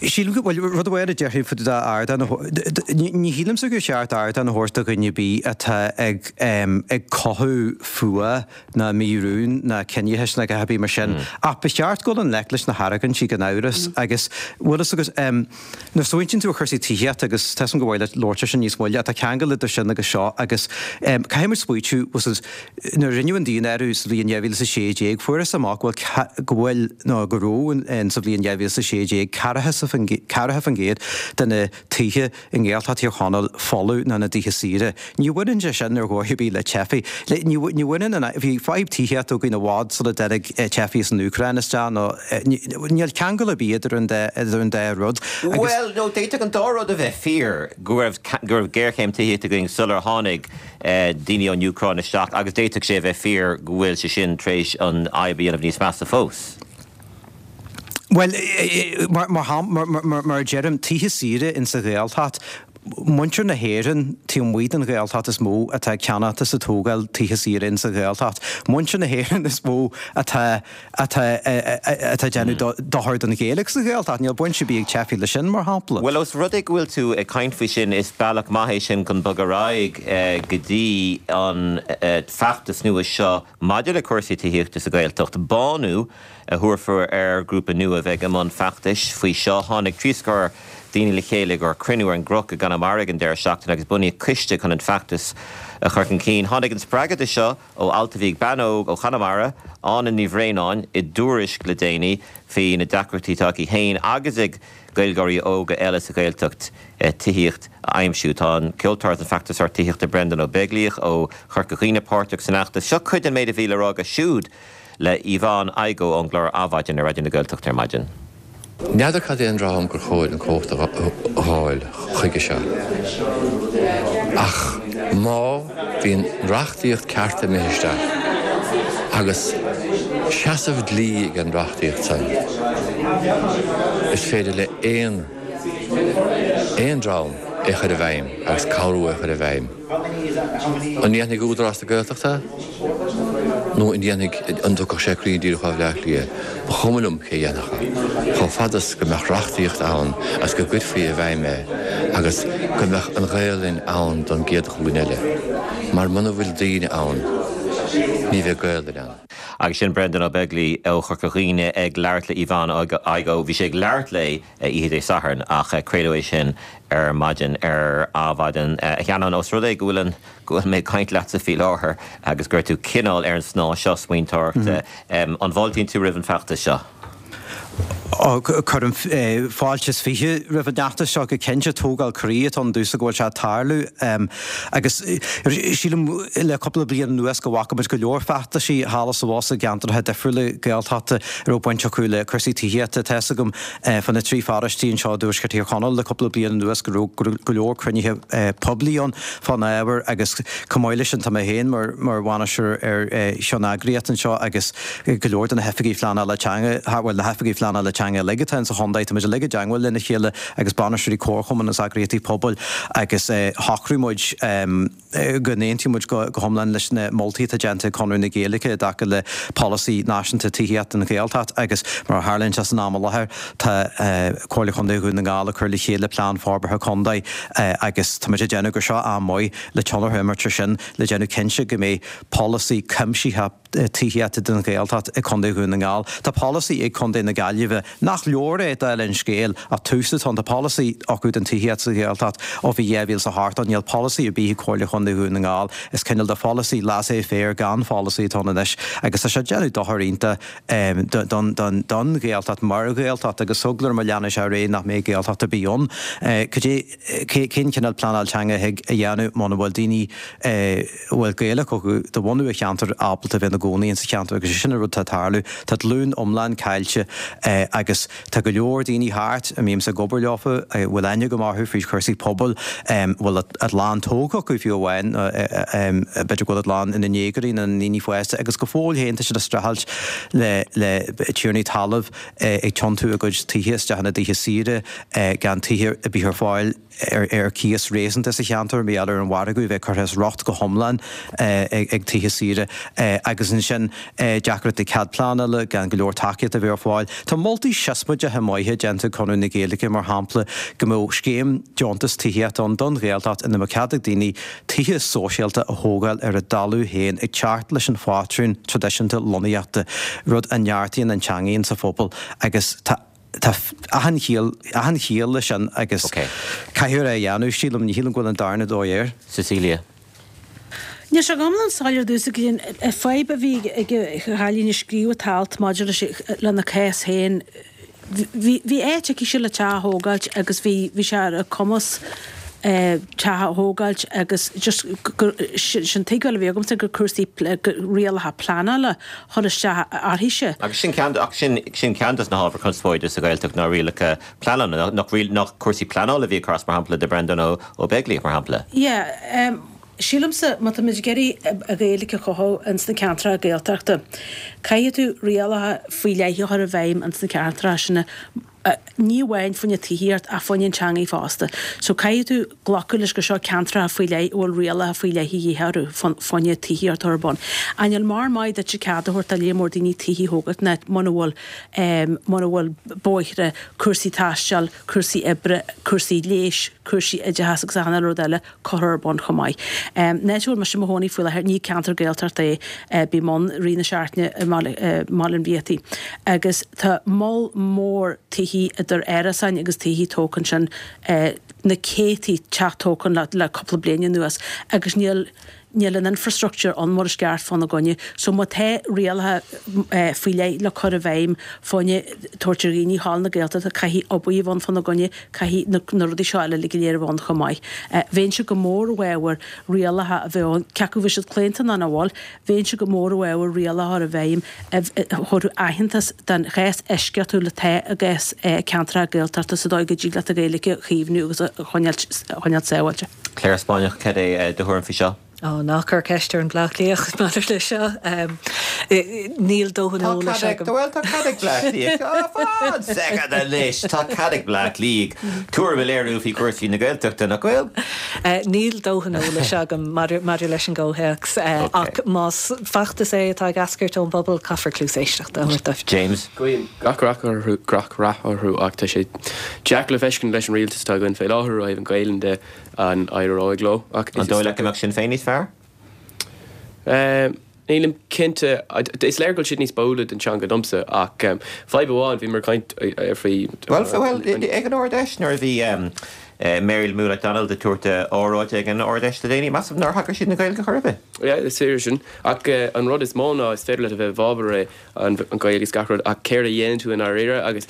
Sílim go bhfuil rud amháin a déarfainn faoi do ardán a thabhairt, ní shílimse gur cheart ardán a thabhairt do dhuine ar bith atá ag ag cothú fuath ná mírún ná ciníochais ná a dhath ar bith mar sin. Ach ba cheart dul i ngleic leis na hargóintí gan amhras agus bhfuil fhios agat nuair a smaointíonn tú ar chúrsaí tithíochta agus tá 'fhios agam gur mhaith leat labhairt ar sin níos moille ach tá ceangal idir sin agus seo agus caithfidh muid smaoitiú bhfuil 'fhios agat nuair a rinneadh an daonáireamh sa bhliain dhá mhíle is a sé déag fuarthas amach go bhfuil go bhfuil nó go raibh in sa bhliain dhá mhíle is a sé déag ceathracha faoin gcéad de na tithe i nGaeltacht Thír Chonaill folamh nó ina dtithe saoire. Ní bhaineann sé sin ar dhóigh ar bith le teifigh. Ní ní bhaineann an bhí fadhb tithíochta againn i bhfad sula dtáinig teifigh as an Úcráin isteach nó níl ceangal ar bith idir an dá idir an dá rud agus. Bhuel, nó d'fhéadfadh an dá rud a bheith fíor, go raibh go raibh géarchéim tithíochta againn sular tháinig daoine ón Úcráin isteach agus d'fhéadfadh sé a bheith fíor go bhfuil sé sin tar éis an fhadhb a dhéanamh níos measa fós. Bhuel, mar a deirim, tithe saoire in sa Ghaeltacht, muintir na hÉireann taobh amuigh den Ghaeltacht is mó atá ag ceannacht is ag tógáil tithe saoire in sa Ghaeltacht. Muintir na hÉireann is mó atá atá atá ag déanamh dochar don Ghaeilge sa Ghaeltacht. Níl baint ar bith ag teifigh leis sin, mar shampla. Bhuel, ós rud é go bhfuil tú ag caint faoi sin, is bealach maith é sin chun bogadh ar aghaidh go dtí an feachtas nua seo maidir le cúrsaí tithíochta sa Ghaeltacht, Bánú. a thabharfar ar ghrúpa nua a bheidh i mbun feachtais faoi seo. Tháinig trí scór daoine le chéile ag cruinniú ar an gCnoc i gConamara ag an deireadh seachtaine agus bunaíodh coiste chun an feachtas a chur chun cinn. Tháinig an spreagadh seo ó alt a bhí ag bean óg ó Chonamara, Áine Ní Bhraonáin, i dTuairisc le déanaí faoi na deacrachtaí atá aici féin agus ag Gaeilgeoirí óga eile sa Ghaeltacht tithíocht a aimsiú. Tá an ceoltóir an feachtasóir tithíochta Brendan Ó Beaglaoich ó Chorca Dhuibhne páirteach san fheachtas. Seo cuid den méid a bhí le rá aige siúd le Yvonne Igoe ón gclár Adhmhaidin ar Raidió na Gaeltachta ar maidin. N'fheadar cad é an dream gur chóir an chumhacht a fháil chuige seo. Ach má bhíonn reachtaíocht ceart imithe isteach agus seasamh dlí ag an reachtaíocht san, is féidir le aon aon dream é chur i bhfeidhm agus cabhrú é chur i bhfeidhm. An ndéanfaidh Údarás na Gaeltachta nó an ndéanfaidh an dtiocfadh sé cruinn díreach ó Bhaile Átha Cliath? Ba chuma liom cé a dhéanfadh é, chomh fada is go mbeadh reachtaíocht ann agus go gcuirfí i bhfeidhm é agus go mbeadh an Ghaelainn ann don gcéad ghlúin eile. Mar muna bhfuil daoine ann, ní bheidh Gaelainn ann. Agus sin Brendan Ó Beaglaoich ó Chorca Dhuibhne ag labhairt le Yvonne Igoe. Bhí sé ag labhairt léi oíche Dé Sathairn ach craoladh é sin ar maidin ar Adhmhaidin. A Sheanáin, ós rud é go bhfuil an go bhfuil mé ag caint leatsa faoi láthair agus go raibh tú cineál ar an snáth seo smaointeoireachta, an bhfáiltíonn tú roimh an feachtas seo? Cuirim fáilte is fiche roimh an fheachtas seo go cinnte. Tógáil croí atá ann domhsa go bhfuil sé ag tarlú agus sílim le cúpla bliain anuas go bhfaca muid go leor feachtaisí thall is abhus i gceantracha difriúla Gaeltachta a raibh baint acu le cúrsaí tithíochta. Tá fhios agam fá na trí pharóistí anseo i dTuaisceart Thír Chonaill le cúpla bliain anuas go raibh go leor cruinnithe poiblí ann fán ábhar agus chomh maith leis sin tá mé féin mar bhainisteoir ar cheanneagraíocht anseo agus go leor de na hoifigigh phleanála teanga, bhuel na hoifigigh phleanála teanga uilig atá insa chontae, tá muid uilig i dteangmháil lena chéile agus bainisteoirí comharchumann is eagraíochtaí pobail agus shocraigh muid go n-aontaíonn muid go hiomlán leis na moltaí atá déanta ag Conradh na Gaeilge i dtaca le polasaí náisiúnta tithíochta don Ghaeltacht agus mar a tharlaíonn sé san am i láthair tá Comhairle Chontae Dhún na nGall ag cur le chéile plean forbartha contae agus tá muid ag déanamh gur seo am maith le tionchar a imirt air sin le déanamh cinnte go mbeidh polasaí cuimsitheach tithíochta don Ghaeltacht i Contae Dhún na nGall. Tá polasaí ag Contae na Gaillimhe, nach leor é dála an scéil, ach tús atá ann. Tá polasaí acu don tithíocht sa Ghaeltacht ó bhí dhá mhíle is a hocht ann. Níl polasaí ar bith ag Comhairle Chontae Dhún na nGall. Is cineál de pholasaí laissez-faire gan pholasaí atá ann anois agus tá sé ag déanamh dochar iontach don Ghaeltacht mar Ghaeltacht agus eagla orm má leanann sé ar aghaidh nach mbeidh Gaeltacht ar bith ann. Cad é, cén cineál pleanáil teanga a thig a dhéanamh muna bhfuil daoine a bhfuil Gaeilge acu de bhunadh an cheantair ábalta bheith ina gcónaí insa cheantar agus sin an rud atá ag tarlú. Tá glúin iomlán caillte agus tá go leor daoine thart a mbímse ag obair leofa, a bhfuil aithne agam orthu fríd chúrsaí pobail, a bhfuil a gclann tógtha acu fiú amháin, b'fhéidir go bhfuil a gclann ina ndéagóirí nó ina ndaoine fásta agus go fóill féin tá siad ag streachailt le le tiarnaí talaimh ag tiontú a gcuid tithe isteach ina dtithe saoire gan tithe ar bith ar fáil. ar cíos réasúnta sa cheantar, mar gheall ar an mhargadh a bheith curtha as riocht go hiomlán ag tithe saoire agus ansin deacrachtaí cead pleanála, gan go leor tacaíocht a bheith ar fáil. Tá moltaí siosmaideacha maithe déanta ag Conradh na Gaeilge, mar shampla, go mbeadh scéim deontas tithíochta ann don Ghaeltacht ina mbeadh cead ag daoine tithe sóisialta a thógáil ar a dtalamh féin ag teacht leis an phátrún traidisiúnta lonnaíochta, rud a neartaíonn an teangaidh insa phobal agus tá Tá achan chiall, achan chiall leis sin agus caithfear é a dhéanamh, sílim. Ní shílim go bhfuil an darna dóigh air. Cecilia. Níl sé go hiomlán soiléir domhsa cad é an fadhb a bhí ag an chailín a scríobh an t-alt maidir leis, lena cás féin. Bhí, bhí áit aici le teach a thógáilt agus bhí, bhí sé ar a cumas teach a thógáilt agus just gur, sin tuigbheáil a bhí agamsa gur cúrsaí rialacha pleanála a chuir isteach uirthise. Agus sin ceann, ach sin, sin ceann dos na hábhair conspóide sa Ghaeltacht ná rialacha pleanála, nach, nach cúrsaí pleanála a bhí ag cur as mar shampla do Brendan Ó, Ó Beaglaoich mar shampla. Yeah, sílimse má tá muid ag iarraidh an Ghaeilge a chothú ins na ceantracha Gaeltachta, caithfidh tú rialacha faoi leith a chur i bhfeidhm ins na ceantracha sin ní amháin fá choinne tithíocht ach fá choinne an teangaidh fosta. So caithfidh tú glacadh leis gur seo ceantracha faoi leith a bhfuil rialacha faoi leith a dhíth orthu fá choinne tithíocht a chur ar bun. Ach níl mórán maith duit cead a thabhairt do líon mór daoine tithe a thógáilt in áit muna bhfuil muna bhfuil bóithre, cúrsaí taistil, cúrsaí oibre, cúrsaí leighis, cúrsaí oideachais agus achan uile rud eile curtha ar bun chomh maith. An áit a bhfuil mise i mo chónaí faoi láthair, ní ceantar Gaeltachta é, bím ann i rith na seachtaine i mBaile an Bhiataigh agus tá moll mór tithí tithe idir árasáin agus tithe tógtha ansin, na céadtaí teach tógtha le le cúpla bliain anuas agus níl níl an infrastructure ann mar is ceart fána gcoinne. So má tá rialacha faoi leith le cur i bhfeidhm fá choinne tabhairt ar dhaoine thall na Gaeltachta, caithfidh obair a bheith ann fána gcoinne, caithfidh na na rudaí seo eile uilig go léir a bheith ann chomh maith. Bheinnse go mór i bhfabhar rialacha a bheith ann, cé acu bhfuil siad claonta nó nach bhfuil, bheinnse go mór i bhfabhar rialacha a chur i bhfeidhm a thabharfadh aitheantas don chás eisceachtúil atá i gcás ceantracha Gaeltachta sa dóigh go dtig leat an Ghaeilge a chaomhnú agus a choinneáil sábháilte. Clare Spáinneach, cad é do thuairim faoi seo? Ó, ná cuir ceist ar an Bleá Cliath maidir le seo. Níl dóthain eolais agam. Bhuel, tá cead ag Bleá Cliath. Fan soicind anois! Tá cead ag Bleá Cliath tuairim a léiriú faoi chúrsaí na Gaeltachta, nach bhfuil? Níl dóthain eolais agam maidir leis an gcomhthéacs, ach más feachtas é atá ag eascairt ón bpobal, caithfear cluas éisteachta a thabhairt dóibh. James. Guím gach rath orthu, gach rath orthu ach tá sé deacair le feiscint leis an rialtas atá againn fé láthair ó thaobh an Ghaelainn de. An éireoidh leo? Ach An dóigh leat go mbeadh Sinn Féin níos fearr? Nílim cinnte. Is léir go bhfuil siad níos báúla don teanga domsa ach fadhb amháin, bhíomar ag caint faoi. Bhuel, bhuel, ag an Ard-Fheis nuair a bhí Mary Lou McDonald ag tabhairt óráide ag an Ard-Fheis le déanaí, measaim nár thagair siad don Ghaeilge chor ar bith. Yeah, is fíor sin. Ach an rud is mó ná is féidir leat a bheith i bhfabhar é an Ghaeilge is gach rud ach céard a dhéanann tú i ndáiríre agus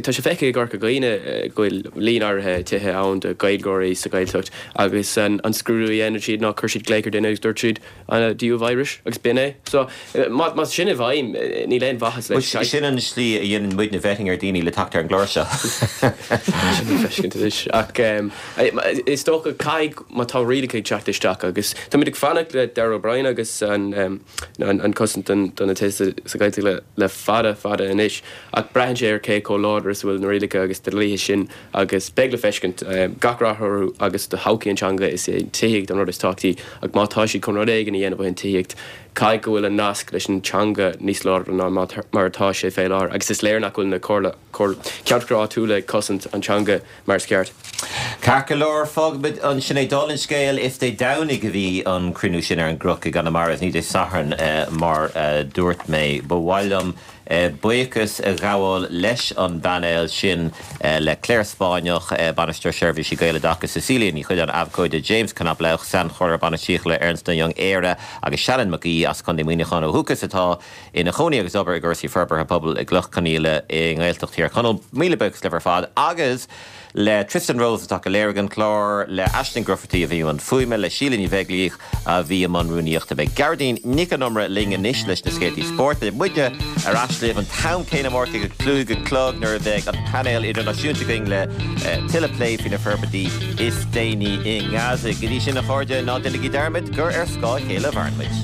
tá sé feicthe i gCorca Dhuibhne go bhfuil líon áirithe tithe ann do Ghaeilgeoirí sa Ghaeltacht agus an scrúdú a dhéanann siad ná chuir siad glaoch ar duine agus dúirt siad do you have Irish agus b'in é. So más sin i bhfeidhm níl aon mhaitheas leis. Sin an slí a dhéanann muidne vetting ar daoine le teacht ar an gclár seo. Sin le feiscint anois ach is dócha caithfidh má tá rialacha ag teacht isteach agus táimid ag fanacht le Darragh O'Brien agus an an cosaint do na tithe sa Ghaeltacht le fada fada anois ach braitheann sé ar cé chomh láidir is a bhfuil na rialacha agus na dlíthe sin agus beidh le feiscint gach rath orthu agus do thodhchaí an teanga is é an tithíocht an rud is tábhachtaí ach má tá siad chun rud éigin a dhéanamh ó thaobh tithíocht caithfidh go bhfuil an nasc leis an teanga níos láidre ná mar atá sé fé láthair agus is léir nach bhfuil na comhairle ceantracha áitiúla ag cosaint an teanga mar is ceart. Ceart go leor, fágfaimid ansin é. Dála an scéil, is Dé Domhnaigh a bhí an cruinniú sin ar an gCnoc i gConamara, is ní Dé Sathairn mar a dúirt mé. Ba mhaith liom buíochas a ghabháil leis an bpainéal sin, le Clare Spáinneach, Bainisteoir Seirbhísí Gaeloideachais, Cecilia Ní Chuileáin, Abhcóide, James Knoblauch, Sainchomhairleoir Bainistíochta le Ernst Young Éire agus Shannon Mac Aoidh as Contae Mhuineacháin ó dhúchas atá ina chónaí agus ag obair i gcúrsaí forbartha pobail i gCloich Chionnaola i nGaeltacht Thír Chonaill. Míle buíochas libh ar fad agus le Tristan Rose atá ag léiriú an clár, le Aisling Grufferty a bhí i mbun fuaime, le Síle Ní Bheaglaoich a bhí i mbun rúnaíochta. Beidh Gearóidín Nic an Iomaire linn anois leis na scéaltaí spóirt. Beidh muidne ar ais libh an t-am céanna amárach ag a cúig a chlog nuair a bheidh an painéal idirnáisiúnta againn le tuilleadh plé faoi na forbairtí is déanaí i nGaza. Go dtí sin a chairde, ná déanaigí dearmad gur ar scáth a chéile a mhaireann muid.